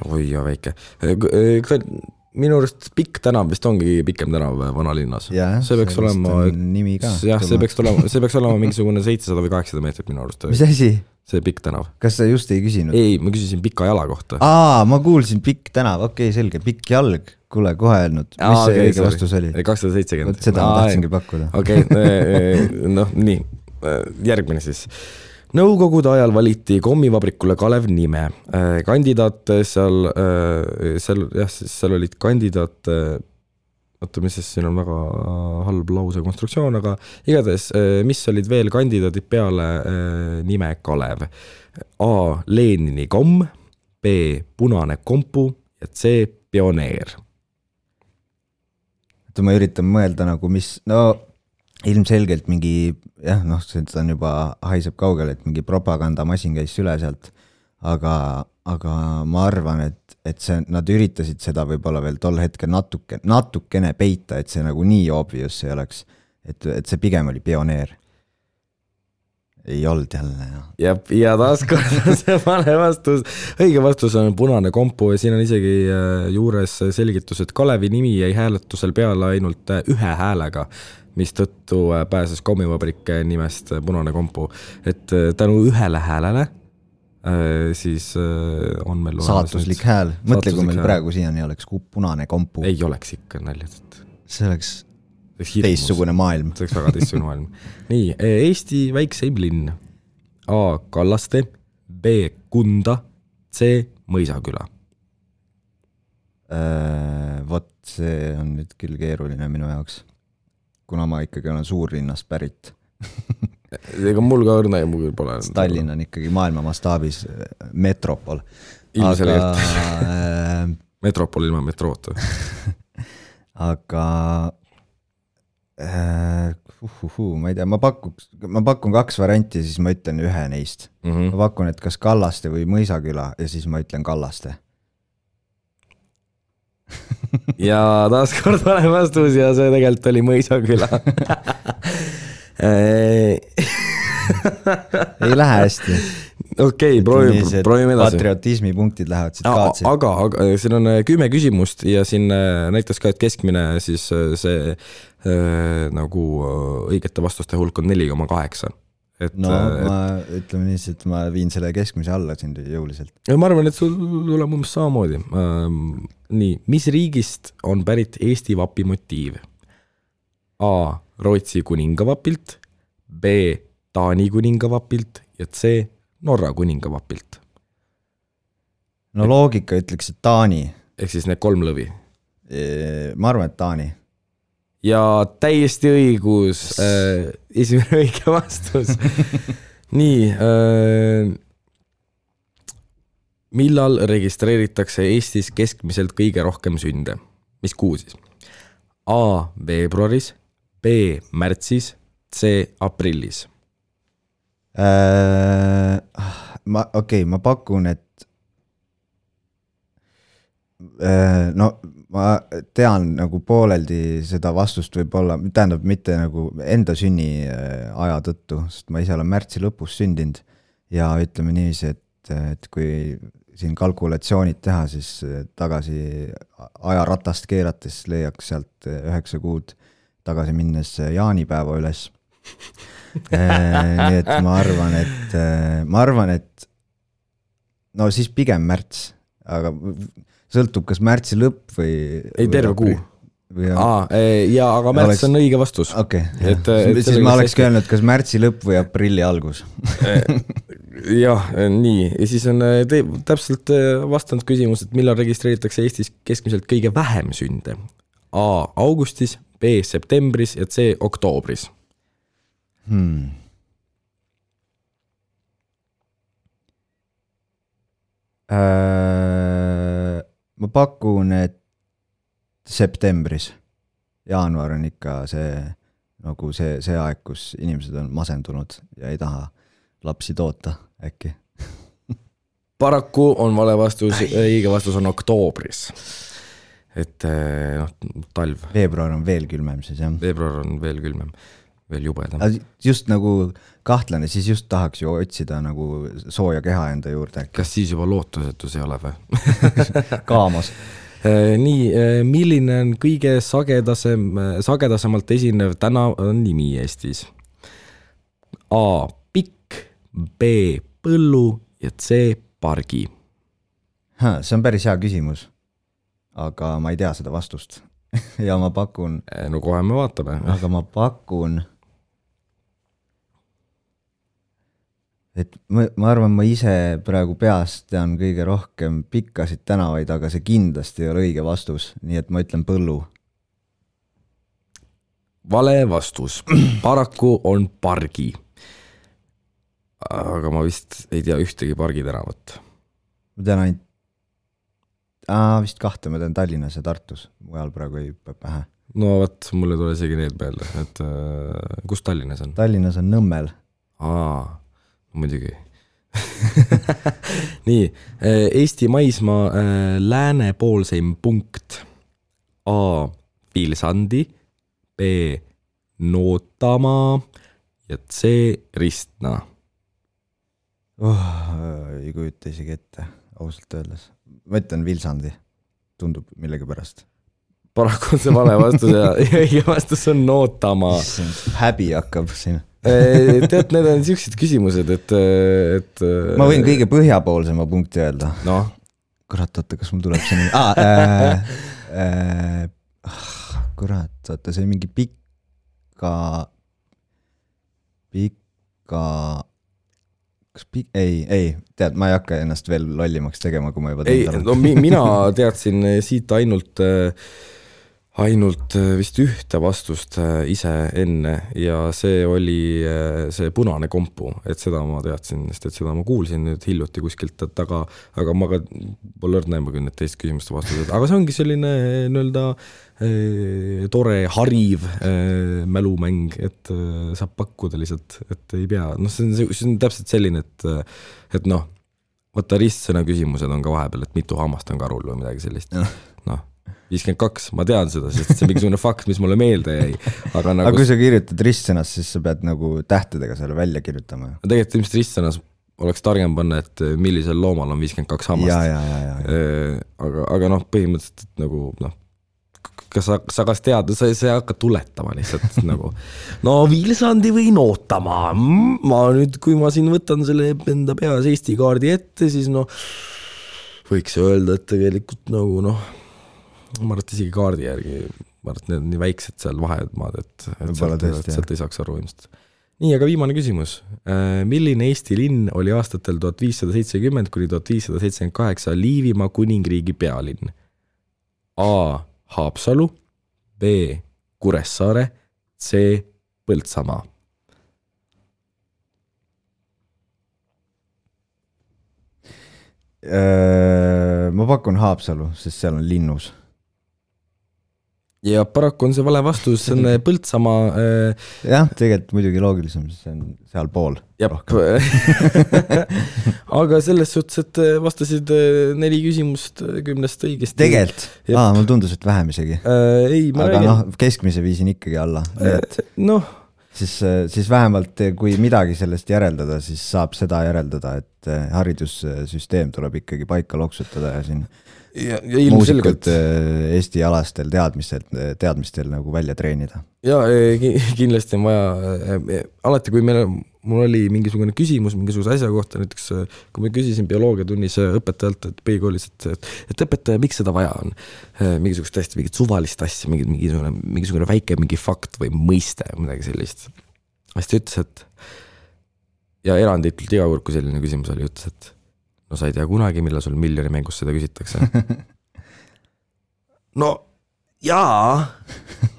Oi ja väike. Minu arust Pikk tänav vist ongi pikem tänav vanalinnas. See peaks olema nimi ka. Jah, see peaks olema mingisugune 700 või 800 meetrit minu arust. Mis asi? See Pikk tänav. Kas sa just ei küsinud? Ei, ma küsisin Pika Jala kohta. Ma kuulsin Pikk tänav, okei, selge. Pikk jalg, kuule kohe öelnud. Mis see õige vastus oli? 270. Seda ma tahtsingi pakkuda. Okei, nii. Järgmine siis. Nõukogude ajal valiti kommivabrikule Kalev nime. Kandidaat seal olid kandidaat, mis siis siin on väga halb lause konstruktsioon, aga igatahes, mis olid veel kandidaadid peale nime Kalev? A. Lenini komm, B. Punane kompu ja C. Pioneer. Ma üritan mõelda nagu mis, ilmselgelt mingi, see on juba haiseb kaugele, et mingi propagandamasin käis üle sealt, aga ma arvan, et nad üritasid seda võib-olla veel tol hetkel natukene peita, et see nagu nii obvious ei oleks, et see pigem oli Pioneer. Ei olnud jälle. Ja taas kord on see vale vastus. Õige vastus on Punane kompu ja siin on isegi juures selgitus, et Kalevi nimi jäi hääletusel peale ainult ühe häälega, mis tõttu pääses kommivabrik nimest Punane kompu. Et tänu ühele häälele siis on meil saatuslik hääl. Mõtle, kui meil praegu siiani oleks Punane kompu. Ei oleks ikka naljad. See oleks teistsugune maailm. See oleks väga teistsugune maailm. Nii, Eesti väikseim linn. A. Kallaste, B. Kunda, C. Mõisaküla. Vot see on nüüd küll keeruline minu jaoks, kuna ma ikkagi olen suurlinnast pärit. Ega mul ka õrna ja mul pole. Tallinn on ikkagi maailma mastaabis metropol. Ilmselgelt. Metropol ilma metroota. Aga ma ei tea, ma pakun 2 varianti, siis ma ütlen ühe neist. Ma pakun, et kas Kallaste või Mõisaküla ja siis ma ütlen Kallaste. Ja taas kord vale vastus ja see tegelikult oli Mõisaküla. Ei lähe hästi. Okei, proovime edasi. Patriotismi punktid lähevad siit kaatsi. Aga siin on 10 küsimust ja siin näitas ka, et keskmine siis see nagu õigete vastuste hulk on 4,8. Ma ütleme nii, et ma viin selle keskmise alla siin jõuliselt. Ma arvan, et sul tuleb umbes samamoodi. Nii, mis riigist on pärit Eesti vapi motiiv? A. Rootsi kuningavapilt, B. Taani kuningavapilt ja C Norra kuningavapilt. no loogika ütleks, et Taani. Ehk siis need 3 lõvi. Ma arvan, et Taani. Ja täiesti õigus, esimene õige vastus. Nii, millal registreeritakse Eestis keskmiselt kõige rohkem sünde? Mis kuu siis? A. Veebruaris, B. Märtsis, C. Aprillis. Ma pakun, et no ma tean nagu pooleldi seda vastust võib olla, tähendab mitte nagu enda sünni aja tõttu, sest ma ise olen märtsi lõpus sündinud ja ütleme niiviisi, et kui siin kalkulatsioonid teha, siis tagasi ajaratast keerates leiaks sealt 9 kuud tagasi minnes jaanipäeva üles. Nii et ma arvan, et no siis pigem märts, aga sõltub, kas märtsi lõpp või... Ei, terve kuu. Aga märts on õige vastus. Okei, siis ma oleks öelnud, kas märtsi lõpp või aprilli algus. Jah, nii. Ja siis on täpselt vastanud küsimus, et millal registreeritakse Eestis keskmiselt kõige vähem sünde. A. Augustis, B. Septembris ja C. Oktoobris. Ma pakun, et septembris. Jaanuar on ikka nagu see aeg, kus inimesed on masendunud ja ei taha lapsi toota äkki. Paraku on vale vastus, õige vastus on oktoobris. Et talv. Veebruar on veel külmem siis, jah? Veebruar on veel külmem, veel jubedam. Just nagu kahtlane, siis just tahaks ju otsida nagu sooja keha enda juurde. Kas siis juba lootusetus ei ole või? Kaamos. Nii, milline on kõige sagedasemalt esinev nimi Eestis? A. Pikk, B. Põllu ja C. Pargi. See on päris hea küsimus, aga ma ei tea seda vastust. Ja ma pakun... No kohe me vaatame. Aga ma pakun... Et ma arvan, ma ise praegu peast tean kõige rohkem pikkasid tänavaid, aga see kindlasti ei ole õige vastus, nii et ma ütlen Põllu. Vale vastus. Paraku on Pargi. Aga ma vist ei tea ühtegi Pargi tänavat. Ma tean ainult... vist 2, ma tean Tallinnas ja Tartus. Mujal praegu ei pähe. No võt, mulle tule isegi need peale. Et, kus Tallinnas on? Tallinnas on Nõmmel. Muidugi. Nii, Eesti maismaa läänepoolseim punkt. A. Vilsandi, B. Nootamaa ja C. Ristna. Ei kujuta isegi ette, ausalt öeldes. Ma ütlen Vilsandi, tundub millegi pärast. Paraku on see vale vastus ja õige vastus on Nootamaa. Häbi hakkab siin. Tead, need on sellised küsimused, et ma võin kõige põhjapoolsema punkti öelda. No. Kurat, oota, kas mul tuleb see kurat, oota, see mingi pikka ei, tead, ma ei hakka ennast veel lollimaks tegema, kui ma juba tean. No, mina teadsin siit ainult vist ühte vastust ise enne ja see oli see punane kompu, et seda ma teadsin, sest et seda ma kuulsin nüüd hiljuti kuskilt, aga ma ka pole näema küll need teist küsimuste vastused, aga see ongi selline tore hariv mälumäng, et saab pakkuda lihtsalt, et ei pea, see on täpselt selline, et võtta ristsõna küsimused on ka vahepeal, et mitu hammast on karul või midagi sellist, 52, ma tean seda, sest see on mingisugune fakt, mis mulle meelde jäi. Aga kui sa kirjutad ristsõnas, siis sa pead nagu tähtedega selle välja kirjutama. Tegelikult ilmselt ristsõnas oleks targem panna, et millisel loomal on 52 hammast. Aga põhimõtteliselt nagu, kas sa kas tead, sa hakka tuletama lihtsalt nagu, Vilsandi või Nootamaa. Ma nüüd, kui ma siin võtan selle enda peas Eesti kaardi ette, siis võiks öelda, et tegelikult nagu ma arvan, et isegi kaardi järgi, ma arvan, et need on nii väiksed seal vahemaad, et sealt ei saaks aru ilmselt. nii, aga viimane küsimus. Milline Eesti linn oli aastatel 1570 kuni 1578 Liivimaa kuningriigi pealinn? A. Haapsalu, B. Kuressaare, C. Põltsamaa. Ma pakun Haapsalu, sest seal on linnus. Ja paraku on see vale vastus, see on Põltsamaa. Jah, tegelikult muidugi loogilisem, see on seal pool. Aga selles suhtes, et vastasid 4 küsimust 10 õigesti. Tegelikult? Mul tundus, et vähem isegi. Ei, ma räägin. Aga keskmise viisin ikkagi alla. Siis vähemalt, kui midagi sellest järeldada, siis saab seda järeldada, et haridussüsteem tuleb ikkagi paika loksutada ja siin muusikult Eesti alastel teadmistel nagu välja treenida. Ja kindlasti on vaja, alati kui mul oli mingisugune küsimus mingisuguse asja kohta, näiteks kui ma küsisin bioloogiatunnis õpetajalt, et põhikoolis, et õpetaja, miks seda vaja on? Mingisugust tõesti mingit suvalist asja, mingisugune väike mingi fakt või mõiste, midagi sellist. Hästi ütles, et ja eranditult iga kord, kui selline küsimus oli, ütles, et no sa ei tea kunagi, millal sul miljoni mängus seda küsitakse. No jaa,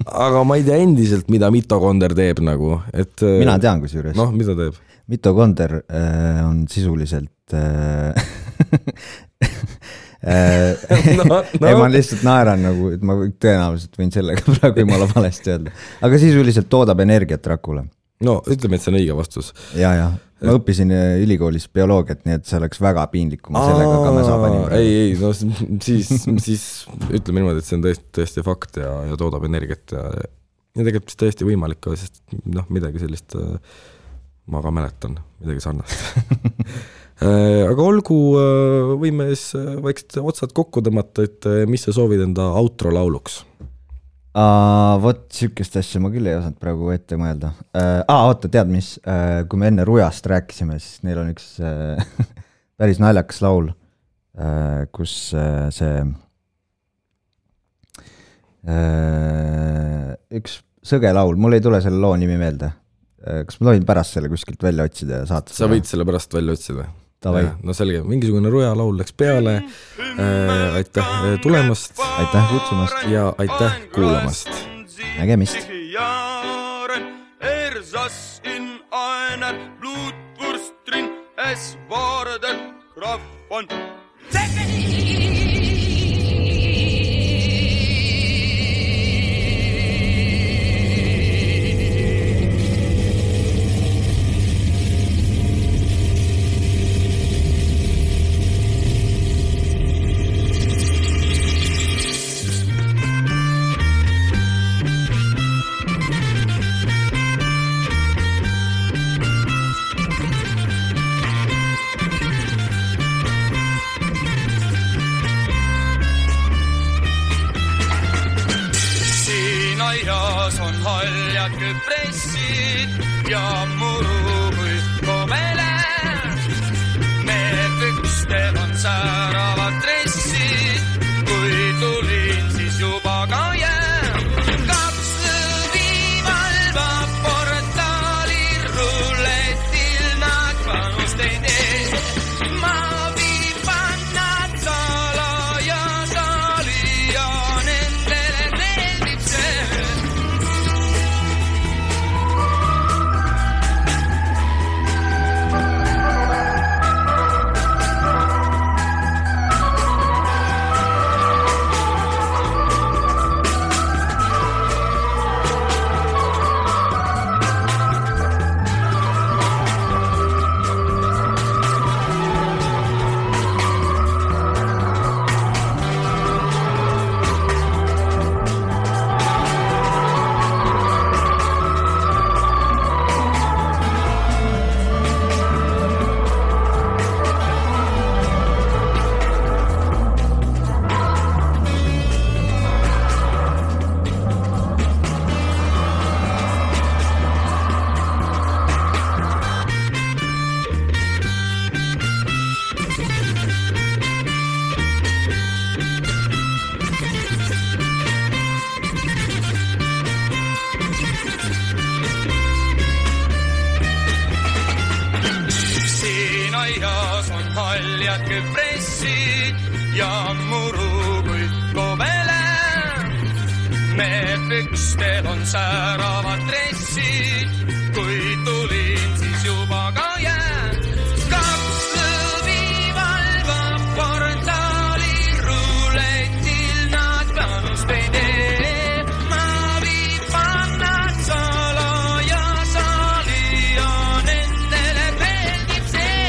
aga ma ei tea endiselt, mida mitokonder teeb nagu. Mina tean kusjuures. Noh, mida teeb? Mitokonder on sisuliselt ma lihtsalt naeran nagu, et ma tõenäoliselt võin sellega praegu jumala valesti öelda. Aga sisuliselt toodab energiat rakule. No ütleme, et see on õige vastus. Ja. Ma õppisin ülikoolis bioloogiat, nii et see oleks väga piinlik, kui ma sellega ka me saabanin. Ei, no siis ütleme niimoodi, et see on tõesti fakt ja toodab energiat ja tegelikult tõesti võimalik ka, sest midagi sellist ma ka mäletan, midagi sarnast. Aga olgu, võime siis vaikselt otsad kokku tõmmata, et mis sa soovid enda outro lauluks? Vot sükest asja ma küll ei osanud praegu ette mõelda. Oota, tead mis, kui me enne Rujast rääkisime, siis neil on üks päris naljakas laul, kus see üks sõge laul, mul ei tule selle loo nimi meelde. Kas ma tohin pärast selle kuskilt välja otsida ja saata? Sa võid selle pärast välja otsida. No selge, mingisugune Ruja laul läks peale. Aitäh tulemast. Aitäh kutsumast. Ja aitäh kuulamast. Nägemist. Ersas in einer Blutwurst drin, es war der Graf von haljad küpressid ja muru kui kobele. Need pükstel on sääravad dressid, kui tulin, siis juba ka jään. Kaks lõvi valvab portaali, ruletil nad planust ei tee. Ma viipan nad salaja saali ja nendele meeldib see.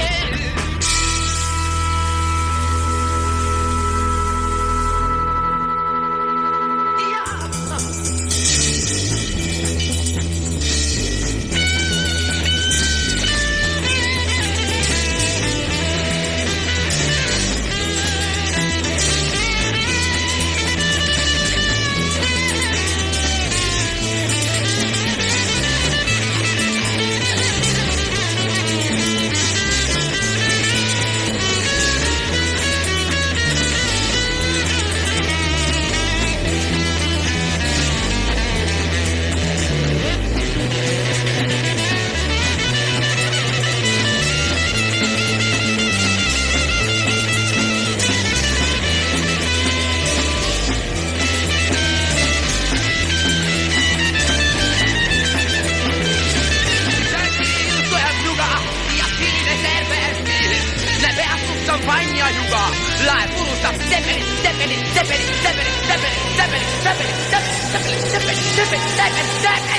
Lae purutab sepelit, sepelit, sepelit, sepelit, sepelit, sepelit, sepelit, sepelit, sepelit, sepelit, sepelit, sepelit, sepelit,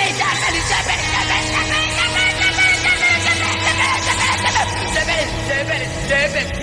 sepelit, sepelit, sepelit,